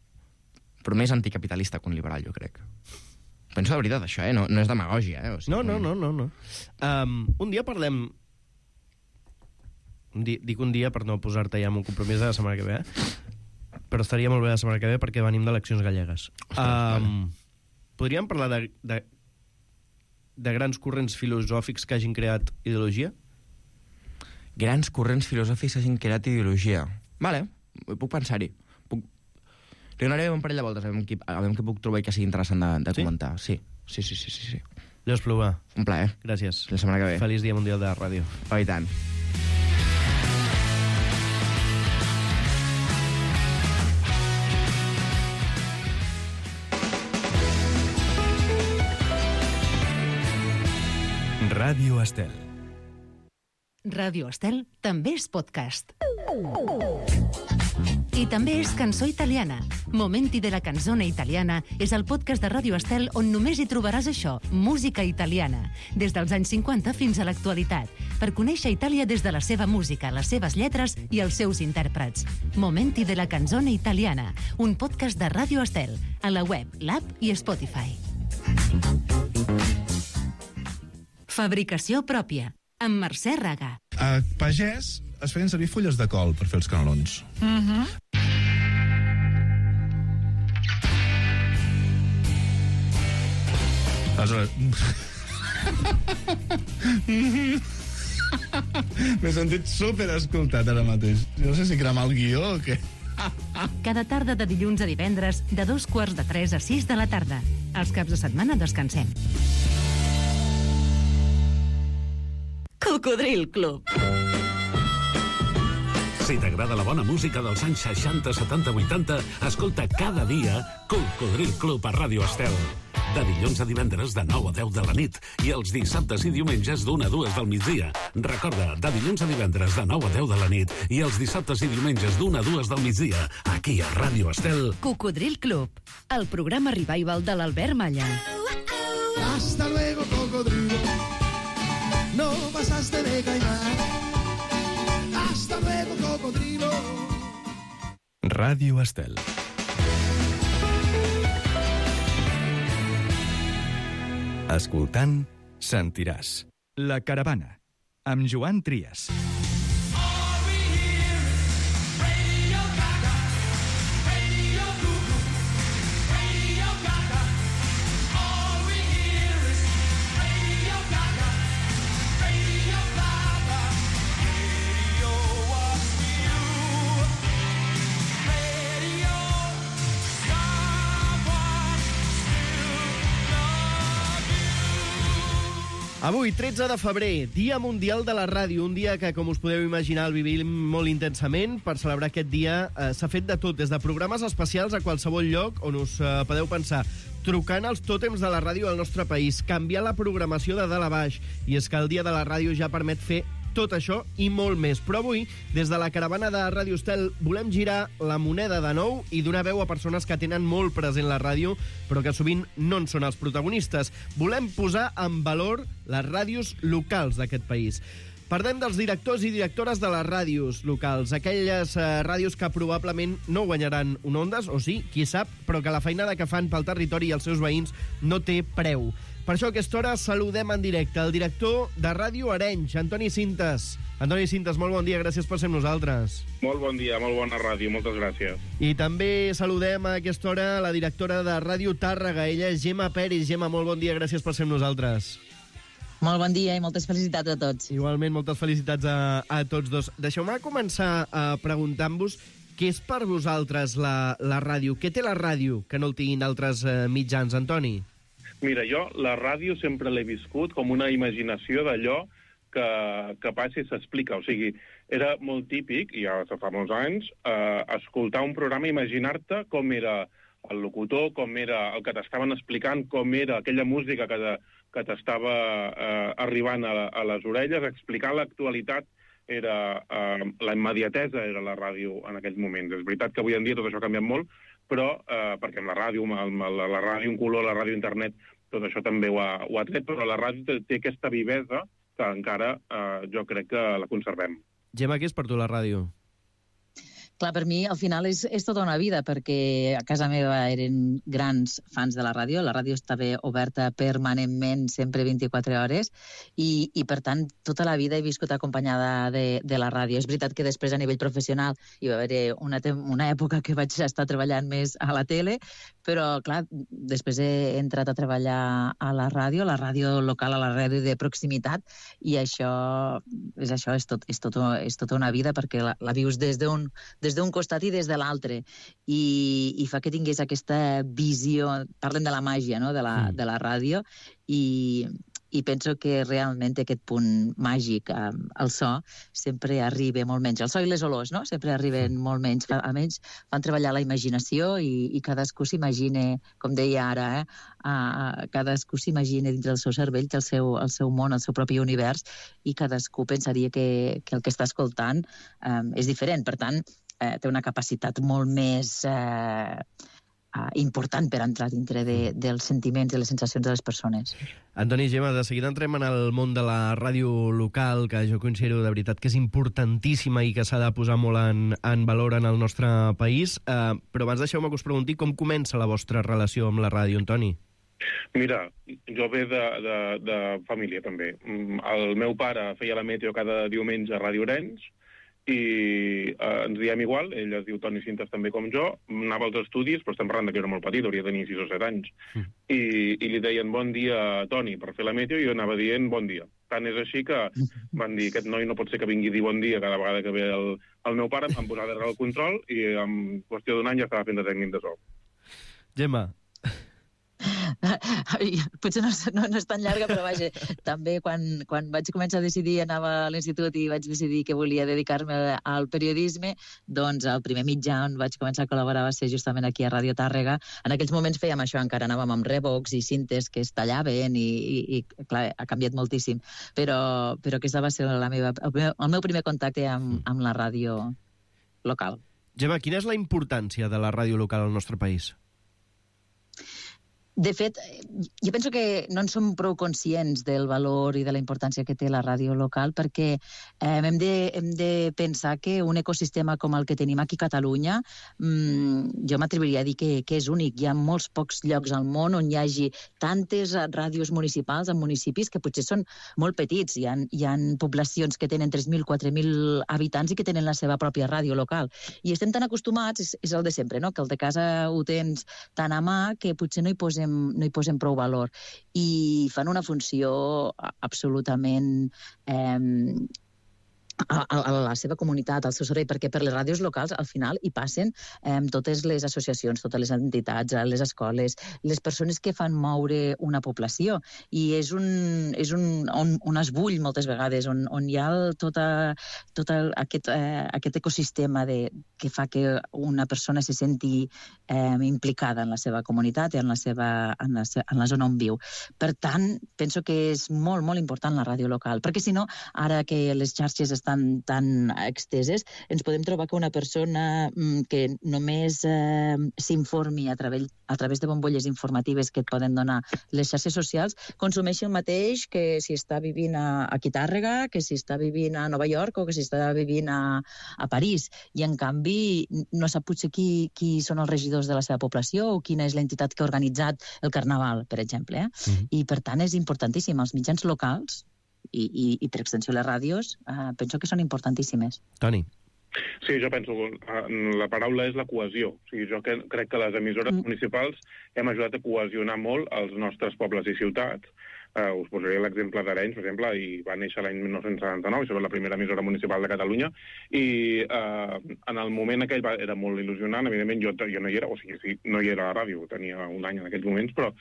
Però més anticapitalista que un liberal, jo crec. Penso de veritat, això, eh? No, no és demagògia, eh? O sigui, no, no, no, no. no. Um, un dia parlem... Un di... Dic un dia per no posar-te ja amb un compromís de la setmana que ve, eh? Però estaria molt bé la setmana que ve perquè venim d'eleccions gallegues. Um, vale. Podríem parlar de, de, de grans corrents filosòfics que hagin creat ideologia? Grans corrents filosòfics que hagin creat ideologia. Vale, puc pensar-hi. Li donaré un parell de voltes, a veure què, a veure què puc trobar i que sigui interessant de, de sí? comentar. Sí, sí, sí, sí, sí, sí. Leo Espluga. Un plaer. Gràcies. La setmana que ve. Feliç Dia Mundial de la Ràdio. Oh, i tant. Ràdio Estel. Ràdio Estel també és podcast. I també és cançó italiana. Momenti de la canzone italiana és el podcast de Ràdio Estel on només hi trobaràs això, música italiana, des dels anys cinquanta fins a l'actualitat, per conèixer Itàlia des de la seva música, les seves lletres i els seus intèrprets. Momenti de la canzone italiana, un podcast de Ràdio Estel, a la web, l'app i Spotify. Fabricació pròpia, amb Mercè Raga. A pagès es feien servir fulles de col per fer els canelons. Mhm. Aleshores... M'he sentit super escoltat ara mateix. No sé si cremar el guió o què. Cada tarda de dilluns a divendres, de dos quarts de tres a sis de la tarda. Els caps de setmana descansem. Cocodril Club. Si t'agrada la bona música dels anys seixanta, setanta, vuitanta, escolta cada dia Cocodril Club a Ràdio Estel. De dilluns a divendres de nou a deu de la nit i els dissabtes i diumenges d'una a dues del migdia. Recorda, de dilluns a divendres de nou a deu de la nit i els dissabtes i diumenges d'una a dues del migdia, aquí a Ràdio Estel. Cocodril Club, el programa revival de l'Albert Malla. Hasta luego, cocodrilo. No pasaste de caimán. Hasta luego, cocodrilo. Ràdio Estel. Escoltant, sentiràs. La Caravana, amb Joan Trias. Avui, tretze de febrer, Dia Mundial de la Ràdio, un dia que, com us podeu imaginar, el vivim molt intensament. Per celebrar aquest dia eh, s'ha fet de tot, des de programes especials a qualsevol lloc on us eh, podeu pensar. trucant als tòtems de la ràdio del nostre país, canviar la programació de dalt a baix. I és que el dia de la ràdio ja permet fer tot això i molt més. Però avui, des de la caravana de Ràdio Estel, volem girar la moneda de nou i donar veu a persones que tenen molt present la ràdio, però que sovint no en són els protagonistes. Volem posar en valor les ràdios locals d'aquest país. Parlem dels directors i directores de les ràdios locals, aquelles eh, ràdios que probablement no guanyaran un Ondas, o sí, qui sap, però que la feinada que fan pel territori i els seus veïns no té preu. Per això a aquesta hora saludem en directe el director de Ràdio Arenys, Antoni Cintas. Antoni Cintas, molt bon dia, gràcies per ser amb nosaltres. Molt bon dia, molt bona ràdio, moltes gràcies. I també saludem a aquesta hora la directora de Ràdio Tàrrega, ella és Gemma Peris. Gemma, molt bon dia, gràcies per ser amb nosaltres. Molt bon dia i moltes felicitats a tots. Igualment, moltes felicitats a, a tots dos. Deixeu-me començar uh, preguntant-vos què és per vosaltres la, la ràdio? Què té la ràdio que no el tinguin altres uh, mitjans, Antoni? Mira, jo la ràdio sempre l'he viscut com una imaginació d'allò que, que passa i s'explica. O sigui, era molt típic, i ja fa molts anys, uh, escoltar un programa i imaginar-te com era el locutor, com era el que t'estaven explicant, com era aquella música que, de, que t'estava eh, arribant a, a les orelles, explicar l'actualitat era eh, la immediatesa era la ràdio en aquells moments. És veritat que avui en dia tot això ha canviat molt, però eh, perquè amb la ràdio, amb la, la ràdio en color, la ràdio internet, tot això també ho ha, ho ha tret, però la ràdio té, té aquesta vivesa que encara eh, jo crec que la conservem. Gemma, què és per tu la ràdio? Clar, per mi, al final, és, és tota una vida, perquè a casa meva eren grans fans de la ràdio. La ràdio estava oberta permanentment, sempre vint-i-quatre hores, i, i per tant, tota la vida he viscut acompanyada de, de la ràdio. És veritat que després, a nivell professional, hi va haver una, una època que vaig estar treballant més a la tele, però, clar, després he entrat a treballar a la ràdio, a la ràdio local, a la ràdio de proximitat, i això és, això, és, tot, és, tot, és tota una vida, perquè la, la vius des d'un des d'un costat i des de l'altre, i, i fa que tingués aquesta visió, parlem de la màgia, no?, de la, mm. de la ràdio, i, i penso que realment aquest punt màgic, eh, el so, sempre arriba molt menys. El so i les olors, no?, sempre arriben molt menys. Almenys fan treballar la imaginació i, i cadascú s'imagina, com deia ara, eh, uh, cadascú s'imagina dins del seu cervell que el seu, el seu món, el seu propi univers, i cadascú pensaria que, que el que està escoltant um, és diferent. Per tant, eh, té una capacitat molt més eh, uh, important per entrar dintre de, dels sentiments i les sensacions de les persones. Antoni, Gemma, de seguida entrem en el món de la ràdio local, que jo considero de veritat que és importantíssima i que s'ha de posar molt en, en valor en el nostre país. Eh, però abans deixeu-me que us pregunti com comença la vostra relació amb la ràdio, Antoni? Mira, jo ve de, de, de família, també. El meu pare feia la meteo cada diumenge a Ràdio Arenys, i eh, ens diem igual, ell es diu Toni Cintas també com jo, anava als estudis, però estem parlant que era molt petit, hauria de tenir sis o set anys, mm. i, i li deien bon dia, Toni, per fer la meteo, i jo anava dient bon dia. Tant és així que van dir, aquest noi no pot ser que vingui a dir bon dia cada vegada que ve el, el meu pare, em van posar darrere el control, i en qüestió d'un any ja estava fent de tècnic de so. Gemma. Potser no, no, no és tan llarga, però vaja, també quan, quan vaig començar a decidir, anava a l'institut i vaig decidir que volia dedicar-me al periodisme, doncs el primer mitjà on vaig començar a col·laborar va ser justament aquí a Ràdio Tàrrega. En aquells moments fèiem això, encara anàvem amb rebocs i cintes que es tallaven i, i, i clar, ha canviat moltíssim, però, però aquesta va ser la meva, el, meu, el meu primer contacte amb, amb la ràdio local. Gemma, quina és la importància de la ràdio local al nostre país? De fet, jo penso que no en som prou conscients del valor i de la importància que té la ràdio local, perquè eh, hem, de, hem de pensar que un ecosistema com el que tenim aquí a Catalunya, mmm, jo m'atreviria a dir que, que és únic. Hi ha molts pocs llocs al món on hi hagi tantes ràdios municipals en municipis que potser són molt petits. Hi ha, hi ha poblacions que tenen tres mil, quatre mil habitants i que tenen la seva pròpia ràdio local. I estem tan acostumats, és, és el de sempre, no?, que el de casa ho tens tan a mà que potser no hi posem no hi posem prou valor, i fan una funció absolutament eh, a, a la seva comunitat, al seu servei, perquè per les ràdios locals, al final, hi passen eh, totes les associacions, totes les entitats, les escoles, les persones que fan moure una població. I és un, és un, on, on es bull moltes vegades, on, on hi ha el, tota, tot el, aquest, eh, aquest ecosistema de, que fa que una persona se senti eh, implicada en la seva comunitat i en la, seva, en, la, en la zona on viu. Per tant, penso que és molt, molt important la ràdio local, perquè si no, ara que les xarxes estan tan exteses, ens podem trobar que una persona mm, que només eh, s'informi a, través, a través de bombolles informatives que et poden donar les xarxes socials, consumeixi el mateix que si està vivint a, a Quitàrrega, que si està vivint a Nova York o que si està vivint a, a París. I, en canvi, no sap potser qui, qui són els regidors de la seva població o quina és l'entitat que ha organitzat el Carnaval, per exemple. Eh? Mm-hmm. I, per tant, és importantíssim. Els mitjans locals I, i, i per extensió les ràdios, eh, penso que són importantíssimes. Toni. Sí, jo penso que la paraula és la cohesió. O sigui, jo que, crec que les emissores mm. municipals hem ajudat a cohesionar molt els nostres pobles i ciutats. Uh, us posaré l'exemple d'Arenys, per exemple, i va néixer l'any dinou setanta-nou, això va la primera emissora municipal de Catalunya, i uh, en el moment aquell va, era molt il·lusionant, evidentment jo, jo no hi era, o sigui, sí, no hi era a la ràdio, tenia un any en aquells moments, però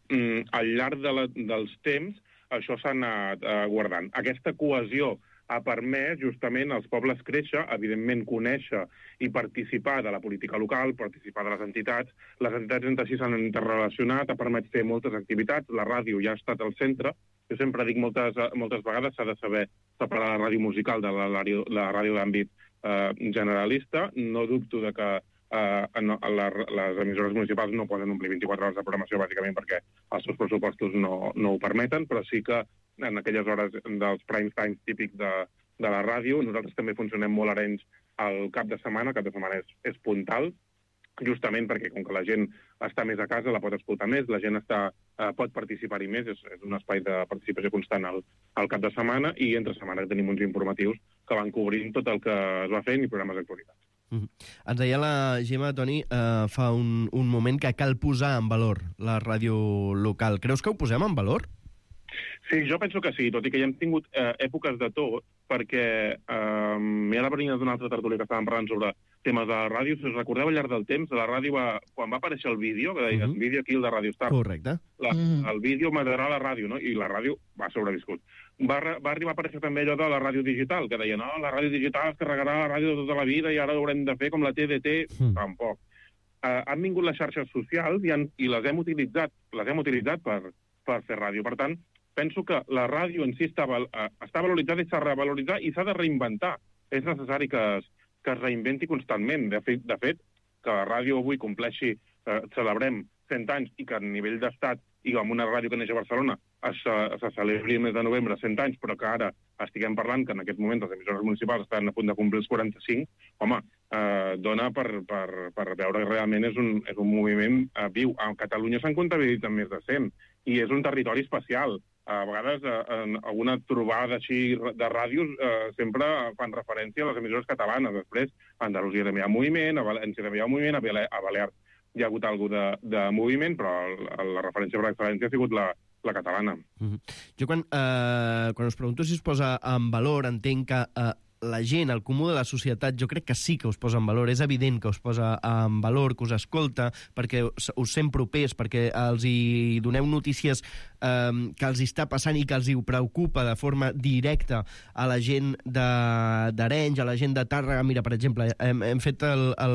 um, al llarg de la, dels temps això s'ha anat uh, guardant. Aquesta cohesió ha permès justament als pobles créixer, evidentment conèixer i participar de la política local, participar de les entitats. Les entitats entre si s'han interrelacionat, ha permès fer moltes activitats, la ràdio ja ha estat al centre. Jo sempre dic moltes, moltes vegades s'ha de saber separar la ràdio musical de la, la, la ràdio d'àmbit eh, generalista. No dubto de que Uh, no, la, les emissores municipals no poden omplir vint-i-quatre hores de programació, bàsicament perquè els seus pressupostos no, no ho permeten, però sí que en aquelles hores dels prime times típics de, de la ràdio, nosaltres també funcionem molt Arenys al cap de setmana, el cap de setmana és, és puntal, justament perquè com que la gent està més a casa, la pot escoltar més, la gent està, uh, pot participar-hi més, és, és un espai de participació constant al, al cap de setmana, i entre setmana tenim uns informatius que van cobrint tot el que es va fent i programes d'actualitat. Mm-hmm. Ens deia la Gemma, Toni, eh, fa un, un moment que cal posar en valor la ràdio local. Creus que ho posem en valor? Sí, jo penso que sí, tot i que ja hem tingut eh, èpoques de tot, perquè eh, m'he de venir d'una altra tertúlia que estàvem parlant sobre temes de la ràdio. Si us recordeu, al llarg del temps, la ràdio va, quan va aparèixer el vídeo, que deia, uh-huh. vídeo aquí, el de Radio Star. Correcte. La, uh-huh. El vídeo m'agradarà la ràdio, no? I la ràdio va sobreviscut. Va, va arribar a aparèixer també allò de la ràdio digital, que deia, no, la ràdio digital es carregarà la ràdio de tota la vida i ara ho haurem de fer com la T D T. Uh-huh. Tampoc. Uh, han vingut les xarxes socials i, han, i les hem utilitzat, les hem utilitzat per, per fer ràdio. Per tant, penso que la ràdio en si està, està valoritzada i s'ha de revaloritzar i s'ha de reinventar. És necessari que es, que es reinventi constantment. De fet, de fet, que la ràdio avui compleixi, eh, celebrem cent anys i que a nivell d'estat i amb una ràdio que neix a Barcelona es, se celebri el mes de novembre cent anys, però que ara estiguem parlant que en aquest moment les emissores municipals estan a punt de complir els quaranta-cinc, home, eh, dona per, per, per veure que realment és un, és un moviment eh, viu. A Catalunya s'han comptabilitzat més de cent i és un territori especial. A vegades, eh, en alguna trobada així de ràdios eh, sempre fan referència a les emissores catalanes. Després, a Andalusia també hi ha moviment, a València també hi ha moviment, a, Bale a Balears hi ha hagut alguna de, de moviment, però el, la referència per excel·lència ha sigut la, la catalana. Mm-hmm. Jo quan, eh, quan us pregunto si es posa en valor, entenc que eh, la gent, el comú de la societat, jo crec que sí que us posa en valor. És evident que us posa en valor, que us escolta, perquè us, us sent propers, perquè els hi doneu notícies eh, que els està passant i que els hi preocupa de forma directa a la gent d'Arenys, a la gent de Tàrrega. Mira, per exemple, hem, hem fet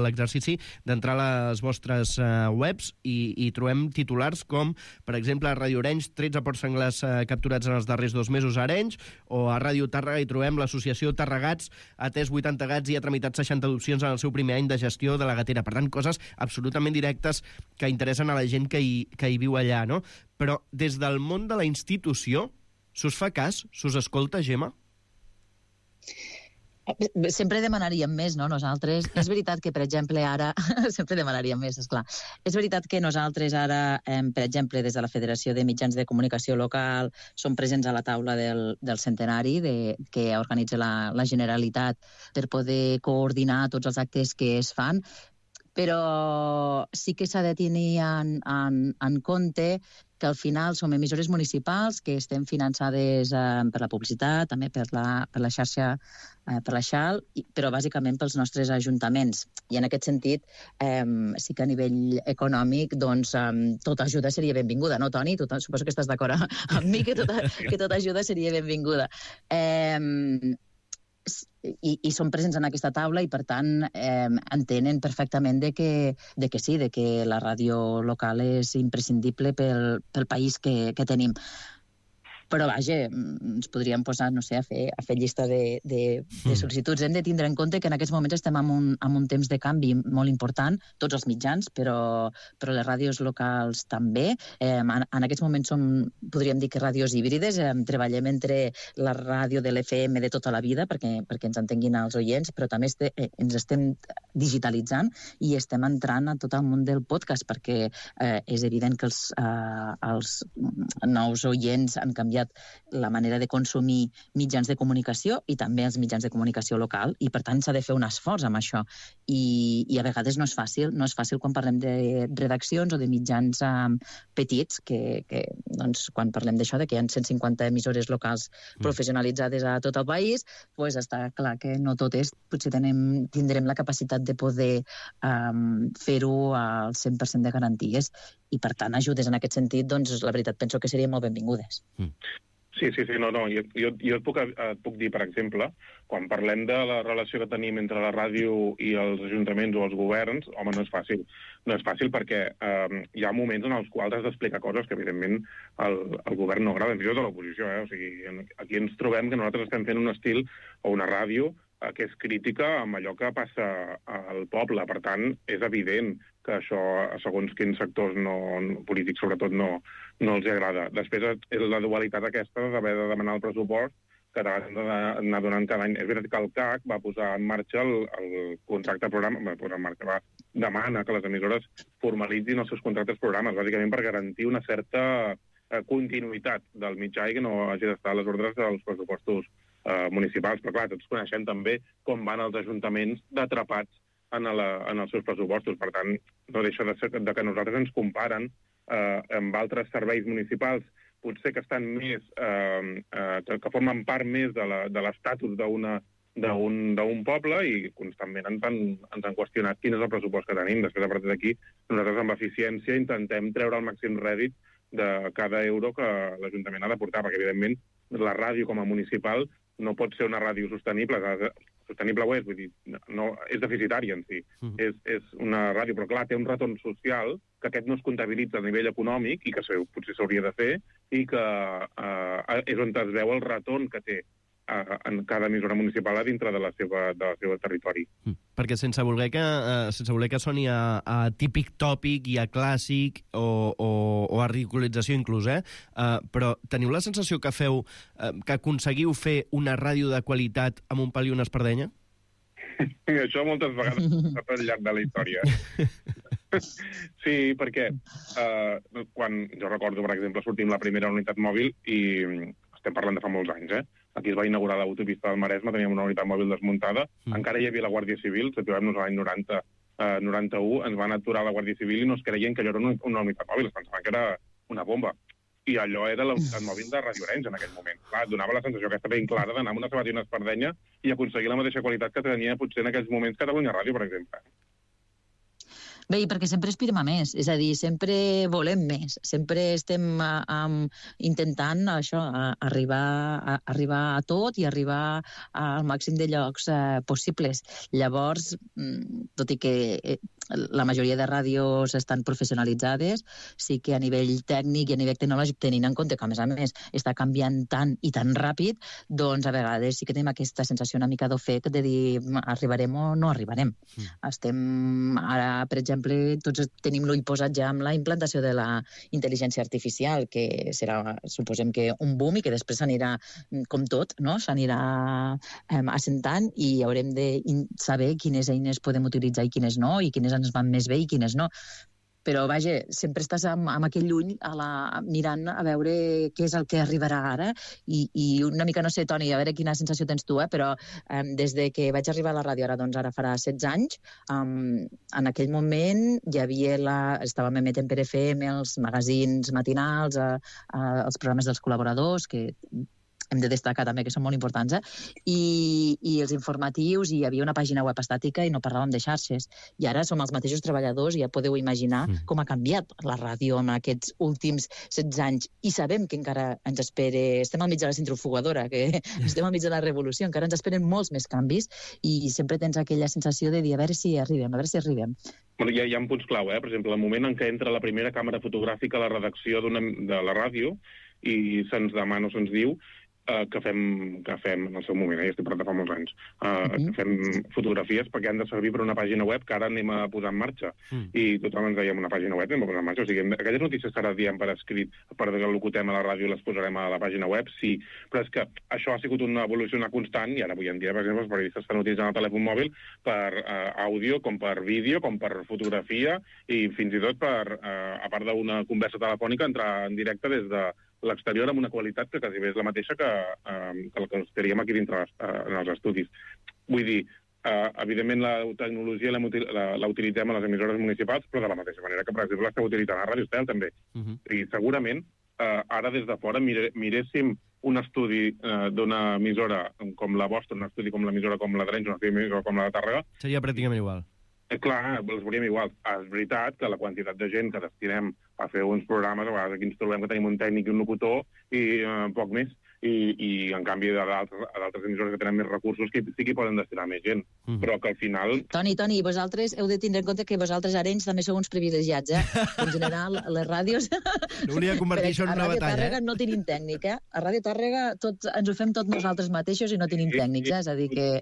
l'exercici d'entrar a les vostres eh, webs i, i trobem titulars com, per exemple, a Ràdio Arenys, tretze porcs senglars eh, capturats en els darrers dos mesos a Arenys, o a Ràdio Tàrrega hi trobem l'associació Tàrrega ha atès vuitanta gats i ha tramitat seixanta adopcions en el seu primer any de gestió de la gatera. Per tant, coses absolutament directes que interessen a la gent que hi, que hi viu allà, no? Però des del món de la institució, s'us fa cas? S'us escolta, Gemma? Sempre demanaríem més, no, nosaltres. És veritat que, per exemple, ara... Sempre demanaríem més, esclar. És veritat que nosaltres ara, eh, per exemple, des de la Federació de Mitjans de Comunicació Local, som presents a la taula del, del centenari de, que organitza la, la Generalitat per poder coordinar tots els actes que es fan, però sí que s'ha de tenir en, en, en compte que al final som emissores municipals que estem finançades eh, per la publicitat, també per la, per la xarxa, eh, per la xal, i, però bàsicament pels nostres ajuntaments. I en aquest sentit, eh, sí que a nivell econòmic, doncs, eh, tota ajuda seria benvinguda, no, Toni? Tu, suposo que estàs d'acord amb mi, que tota, que tota ajuda seria benvinguda. Eh, i, i són presents en aquesta taula i, per tant, eh, entenen perfectament de que, de que sí, de que la ràdio local és imprescindible pel, pel país que, que tenim. Però, vaja, ens podríem posar, no sé, a fer, a fer llista de, de, de sol·licituds. Hem de tindre en compte que en aquests moments estem en un, en un temps de canvi molt important, tots els mitjans, però, però les ràdios locals també. Eh, en, en aquests moments som, podríem dir que ràdios híbrides, eh, treballem entre la ràdio de l'F M de tota la vida, perquè, perquè ens entenguin els oients, però també este, eh, ens estem digitalitzant i estem entrant a tot el món del podcast, perquè eh, és evident que els, eh, els nous oients han canviat la manera de consumir mitjans de comunicació i també els mitjans de comunicació local, i per tant s'ha de fer un esforç amb això. I, i a vegades no és fàcil, no és fàcil quan parlem de redaccions o de mitjans um, petits, que, que doncs, quan parlem d'això, de que hi ha cent cinquanta emissores locals professionalitzades a tot el país, doncs està clar que no tot és, potser tenem, tindrem la capacitat de poder um, fer-ho al cent per cent de garanties, i per tant ajudes en aquest sentit, doncs la veritat penso que serien molt benvingudes. Sí, sí, sí, no, no. Jo, jo, jo et, puc, et puc dir, per exemple, quan parlem de la relació que tenim entre la ràdio i els ajuntaments o els governs, home, no és fàcil. No és fàcil perquè eh, hi ha moments en els quals has d'explicar coses que, evidentment, el, el govern no agrada, fins i tot a l'oposició. Eh? O sigui, aquí ens trobem que nosaltres estem fent un estil o una ràdio que és crítica amb allò que passa al poble. Per tant, és evident que això, segons quins sectors no, polítics, sobretot, no, no els agrada. Després, és la dualitat aquesta d'haver de demanar el pressupost que t'has d'anar donant cada any. És veritat que el C A C va posar en marxa el, el contracte programa, va posar en marxa, va demana que les emissores formalitzin els seus contractes programes, bàsicament per garantir una certa eh, continuïtat del mitjà i que no hagi d'estar a les ordres dels pressupostos eh, municipals. Però clar, tots coneixem també com van els ajuntaments d'atrapats en, la, en els seus pressupostos. Per tant, no deixa de ser de que nosaltres ens comparen eh, amb altres serveis municipals, potser que estan més, eh, eh, que, que formen part més de l'estatus d'una d'un poble, i constantment ens han, ens han qüestionat quin és el pressupost que tenim. Després, a partir d'aquí, nosaltres amb eficiència intentem treure el màxim rèdit de cada euro que l'Ajuntament ha de portar, perquè, evidentment, la ràdio com a municipal no pot ser una ràdio sostenible. Sostenible ho és, vull dir, no, és deficitària en si. Uh-huh. és, és una ràdio, però clar, té un retorn social que aquest no es comptabilitza a nivell econòmic i que potser s'hauria de fer, i que eh, és on es veu el retorn que té eh, en cada emissora municipal a dintre de la seva, de la seva territori. Mm. Perquè sense voler que, eh, sense voler que soni a, a típic tòpic i a clàssic o, o, o a ridiculització inclús, eh? Uh, però teniu la sensació que feu, uh, que aconseguiu fer una ràdio de qualitat amb un pal i una espardenya? Això moltes vegades al llarg de la història. Sí, perquè eh, quan jo recordo, per exemple, sortim la primera unitat mòbil i estem parlant de fa molts anys, eh? Aquí es va inaugurar l'autopista del Maresme, teníem una unitat mòbil desmuntada, mm. encara hi havia la Guàrdia Civil, situem-nos a l'any noranta, eh, noranta-u, ens van aturar la Guàrdia Civil i no es creien que allò era una, una unitat mòbil, es pensaven que era una bomba. I allò era la unitat mòbil de Radio Arenys en aquell moment. Clar, donava la sensació aquesta ben clara d'anar amb una sabata i una espardenya i aconseguir la mateixa qualitat que tenia potser en aquells moments Catalunya Ràdio, per exemple. Bé, i perquè sempre aspirem a més, és a dir, sempre volem més, sempre estem a, a, intentant això, a, arribar, a, arribar a tot i arribar al màxim de llocs eh, possibles. Llavors, tot i que eh, la majoria de ràdios estan professionalitzades, sí que a nivell tècnic i a nivell tecnològic, tenint en compte que, a més a més, està canviant tant i tan ràpid, doncs a vegades sí que tenim aquesta sensació una mica d'ofec de dir arribarem o no arribarem. Mm. Estem ara, per exemple, tots tenim l'ull posat ja amb la implantació de la intel·ligència artificial, que serà, suposem que un boom i que després s'anirà, com tot, no? S'anirà eh, assentant i haurem de saber quines eines podem utilitzar i quines no, i quines ens van més bé i quines no. però vaja, sempre estàs amb, amb aquell ull a la, mirant a veure què és el que arribarà ara, i, i una mica, no sé, Toni, a veure quina sensació tens tu, eh, però eh, des de que vaig arribar a la ràdio, ara doncs ara farà setze anys, um, en aquell moment hi havia la... estàvem emetent per F M, els magazins matinals, eh, eh, els programes dels col·laboradors, que hem de destacar també que són molt importants, eh? I, i els informatius, i hi havia una pàgina web estàtica i no parlàvem de xarxes. I ara som els mateixos treballadors i ja podeu imaginar mm. com ha canviat la ràdio en aquests últims setze anys. I sabem que encara ens espera... Estem al mig de la centrifugadora, que estem al mig de la revolució, encara ens esperen molts més canvis i sempre tens aquella sensació de dir a veure si arribem, a veure si arribem. Bueno, hi, ha, hi ha punts clau, eh? Per exemple, el moment en què entra la primera càmera fotogràfica a la redacció de la ràdio i se'ns demana o se'ns diu Uh, que, fem, que fem en el seu moment, eh? Ja estic parlant de fa molts anys, uh, mm-hmm. que fem fotografies perquè han de servir per una pàgina web que ara anem a posar en marxa. Mm. I tothom ens deia, una pàgina web anem a posar en marxa. O sigui, aquelles notícies que ara diem per escrit, per que locutem a la ràdio i les posarem a la pàgina web, sí. Però és que això ha sigut una evolució, una constant, i ara avui en dia, per exemple, els periodistes estan utilitzant el telèfon mòbil per uh, àudio, com per vídeo, com per fotografia, i fins i tot per, uh, a part d'una conversa telefònica, entrar en directe des de l'exterior amb una qualitat que quasi bé és la mateixa que, eh, que la que estaríem aquí dintre eh, en els estudis. Vull dir, eh, evidentment la tecnologia la, la, la utilitzem a les emissores municipals, però de la mateixa manera que, per exemple, l'esteu utilitzant a Ràdio Estel, també. Uh-huh. I segurament, eh, ara des de fora mire, miréssim un estudi eh, d'una emissora com la vostra, un estudi com l'emissora com la d'Arenys, un estudi com la de Tàrrega... Seria pràcticament igual. Eh, clar, els veuríem igual. És veritat que la quantitat de gent que destinem a fer uns programes, a vegades aquí ens trobem que tenim un tècnic i un locutor i eh, poc més, i, i en canvi a d'altres emissores que tenen més recursos que sí que poden destinar més gent, mm. però que al final... Toni, Toni, vosaltres heu de tindre en compte que vosaltres Arenys també sou uns privilegiats, eh? En general, les ràdios... No volia convertir això en una batalla, eh? A Ràdio Tàrrega no tenim tècnic, eh? A Ràdio Tàrrega tot, ens ho fem tots nosaltres mateixos i no tenim tècnics, eh? És a dir que...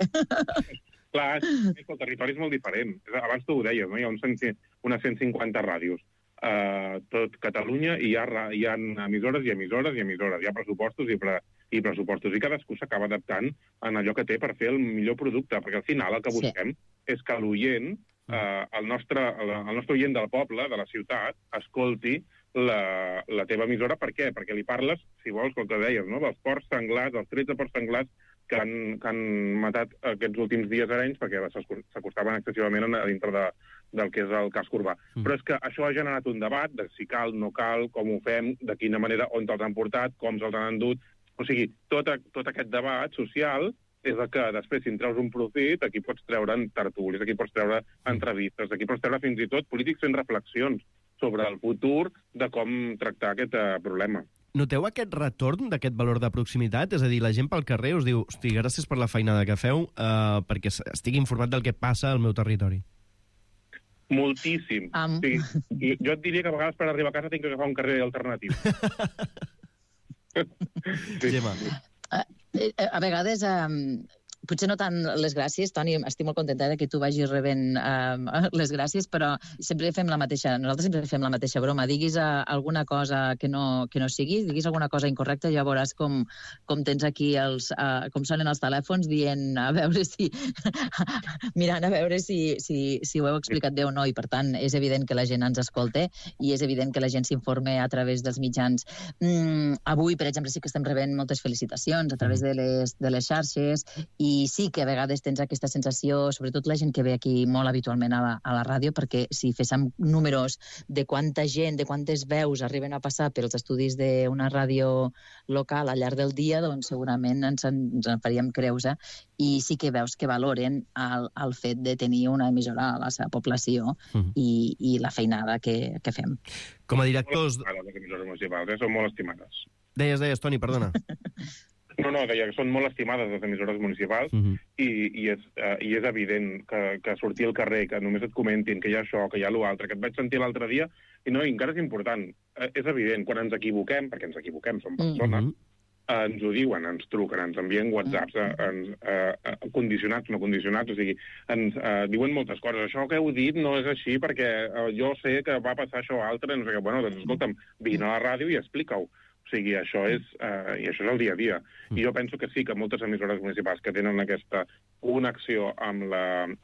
Clar, és que el territori és molt diferent. Abans tu ho deies, no? Hi ha uns cent, unes cent cinquanta ràdios. Uh, tot Catalunya i hi ha, hi ha emissores i emissores i emissores. Hi ha pressupostos i, pre, i pressupostos. I cadascú s'acaba adaptant en allò que té per fer el millor producte, perquè al final el que busquem sí. és que l'oient, uh, el, nostre, el, el nostre oient del poble, de la ciutat, escolti la, la teva emissora. Per què? Perquè li parles, si vols, com que deies, no? dels porcs senglars, dels tretze porcs senglars que han, que han matat aquests últims dies a Arenys perquè s'acostaven excessivament a dintre de, del que és el casc urbà. Mm. Però és que això ha generat un debat de si cal, no cal, com ho fem, de quina manera, on els han portat, com se'ls han endut. O sigui, tot, a, tot aquest debat social és el que després, si en treus un profit, aquí pots treure tertulis, aquí pots treure entrevistes, aquí pots treure fins i tot polítics fent reflexions sobre el futur de com tractar aquest uh, problema. Noteu aquest retorn d'aquest valor de proximitat? És a dir, la gent pel carrer us diu hosti, gràcies per la feinada que feu uh, perquè estic informat del que passa al meu territori. Moltíssim. Um... Sí. I jo et diria que a vegades per arribar a casa tinc que agafar un carrer alternatiu. Sí. Gemma. A, a vegades... Um... Potser no tant les gràcies, Toni, estic molt contenta que tu vagis rebent uh, les gràcies, però sempre fem la mateixa, nosaltres sempre fem la mateixa broma. Diguis uh, alguna cosa que no, que no sigui, diguis alguna cosa incorrecta, ja veuràs com, com tens aquí els, uh, com sonen els telèfons dient a veure si... mirant a veure si, si, si ho heu explicat bé o no, i per tant és evident que la gent ens escolta i és evident que la gent s'informa a través dels mitjans. Mm, avui, per exemple, sí que estem rebent moltes felicitacions a través de les, de les xarxes i I sí que a vegades tens aquesta sensació, sobretot la gent que ve aquí molt habitualment a la, a la ràdio, perquè si féssim números de quanta gent, de quantes veus arriben a passar pels estudis d'una ràdio local al llarg del dia, doncs segurament ens en, ens en faríem creus, eh? I sí que veus que valoren el, el fet de tenir una emissora a la seva població mm. i, i la feinada que, que fem. Com a directors... Les emissores municipals, eh? Són molt estimades. Deies, deies, Toni, perdona. No, no, deia que són molt estimades les emissores municipals uh-huh. i, i, és, uh, i és evident que, que sortir al carrer, que només et comentin que hi ha això, que hi ha l'altre, que et vaig sentir l'altre dia, i no, i encara és important. Uh, és evident, quan ens equivoquem, perquè ens equivoquem, som persones, uh-huh. uh, ens ho diuen, ens truquen, ens envien whatsapps, uh, ens, uh, uh, condicionats, no condicionats, o sigui, ens uh, diuen moltes coses. Això que heu dit no és així perquè uh, jo sé que va passar això altre, no sé què. Bueno, doncs escolta'm, vine a la ràdio i explica-ho. O sigui, això és, eh, i això és el dia a dia. Mm. I jo penso que sí, que moltes emissores municipals que tenen aquesta connexió amb la,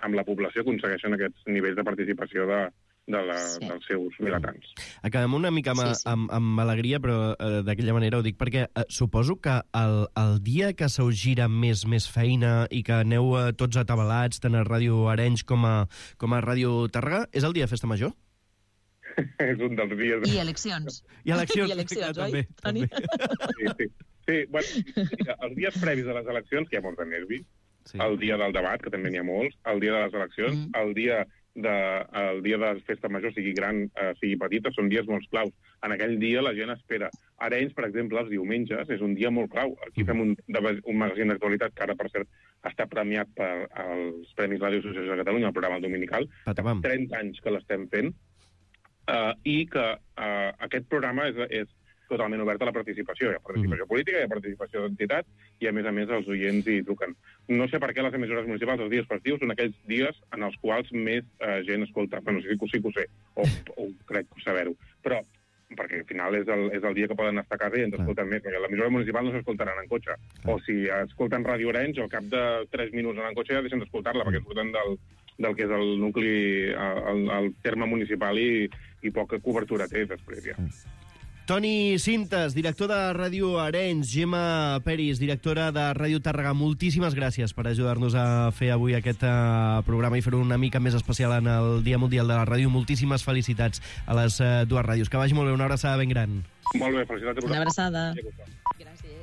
amb la població aconsegueixen aquests nivells de participació de, de la, Sí. dels seus vilatans. Acabem una mica amb, Sí, sí. amb, amb alegria, però eh, d'aquella manera ho dic perquè eh, suposo que el, el dia que se us gira més més feina i que aneu eh, tots atabalats, tant a Ràdio Arenys com a, com a Ràdio Tàrrega, és el dia de Festa Major? És un dels dies... I eleccions. I eleccions, I eleccions, clar, també, oi, Toni? Sí, sí. Sí, bueno, mira, els dies previs a les eleccions, que hi ha molts de nervi, sí. el dia del debat, que també n'hi ha molts, el dia de les eleccions, mm. el dia de, el dia de festa major, sigui gran, eh, sigui petita, són dies molt claus. En aquell dia la gent espera. Arenys, per exemple, els diumenges, és un dia molt clau. Aquí fem un, un magazín d'actualitat que ara, per cert, està premiat per als Premis Ràdio Associació de Catalunya, el programa dominical. Patapam. trenta anys que l'estem fent, eh, i que eh, aquest programa és, és totalment obert a la participació. Hi ha participació mm. política, hi ha participació d'entitat, i a més a més els oients hi truquen. No sé per què les emissores municipals, els dies festius, són aquells dies en els quals més eh, gent escolta. Bueno, sí, sí que ho sé, o, o crec saber-ho. Però, perquè al final és el, és el dia que poden estar a casa i ens escolten més, perquè l'emissora municipal no s'escoltaran en cotxe. O si escolten Ràdio Arenys, al cap de tres minuts en cotxe ja deixen d'escoltar-la, perquè surten del, del que és el nucli, el, el terme municipal i, i poca cobertura té després ja. Toni Sintes, director de Ràdio Arenys, Gemma Peris, directora de Ràdio Tàrrega, moltíssimes gràcies per ajudar-nos a fer avui aquest uh, programa i fer-ho una mica més especial en el Dia Mundial de la Ràdio. Moltíssimes felicitats a les uh, dues ràdios. Que vagi molt bé, una abraçada ben gran. Molt bé, felicitats a vosaltres. Una abraçada. Gràcies.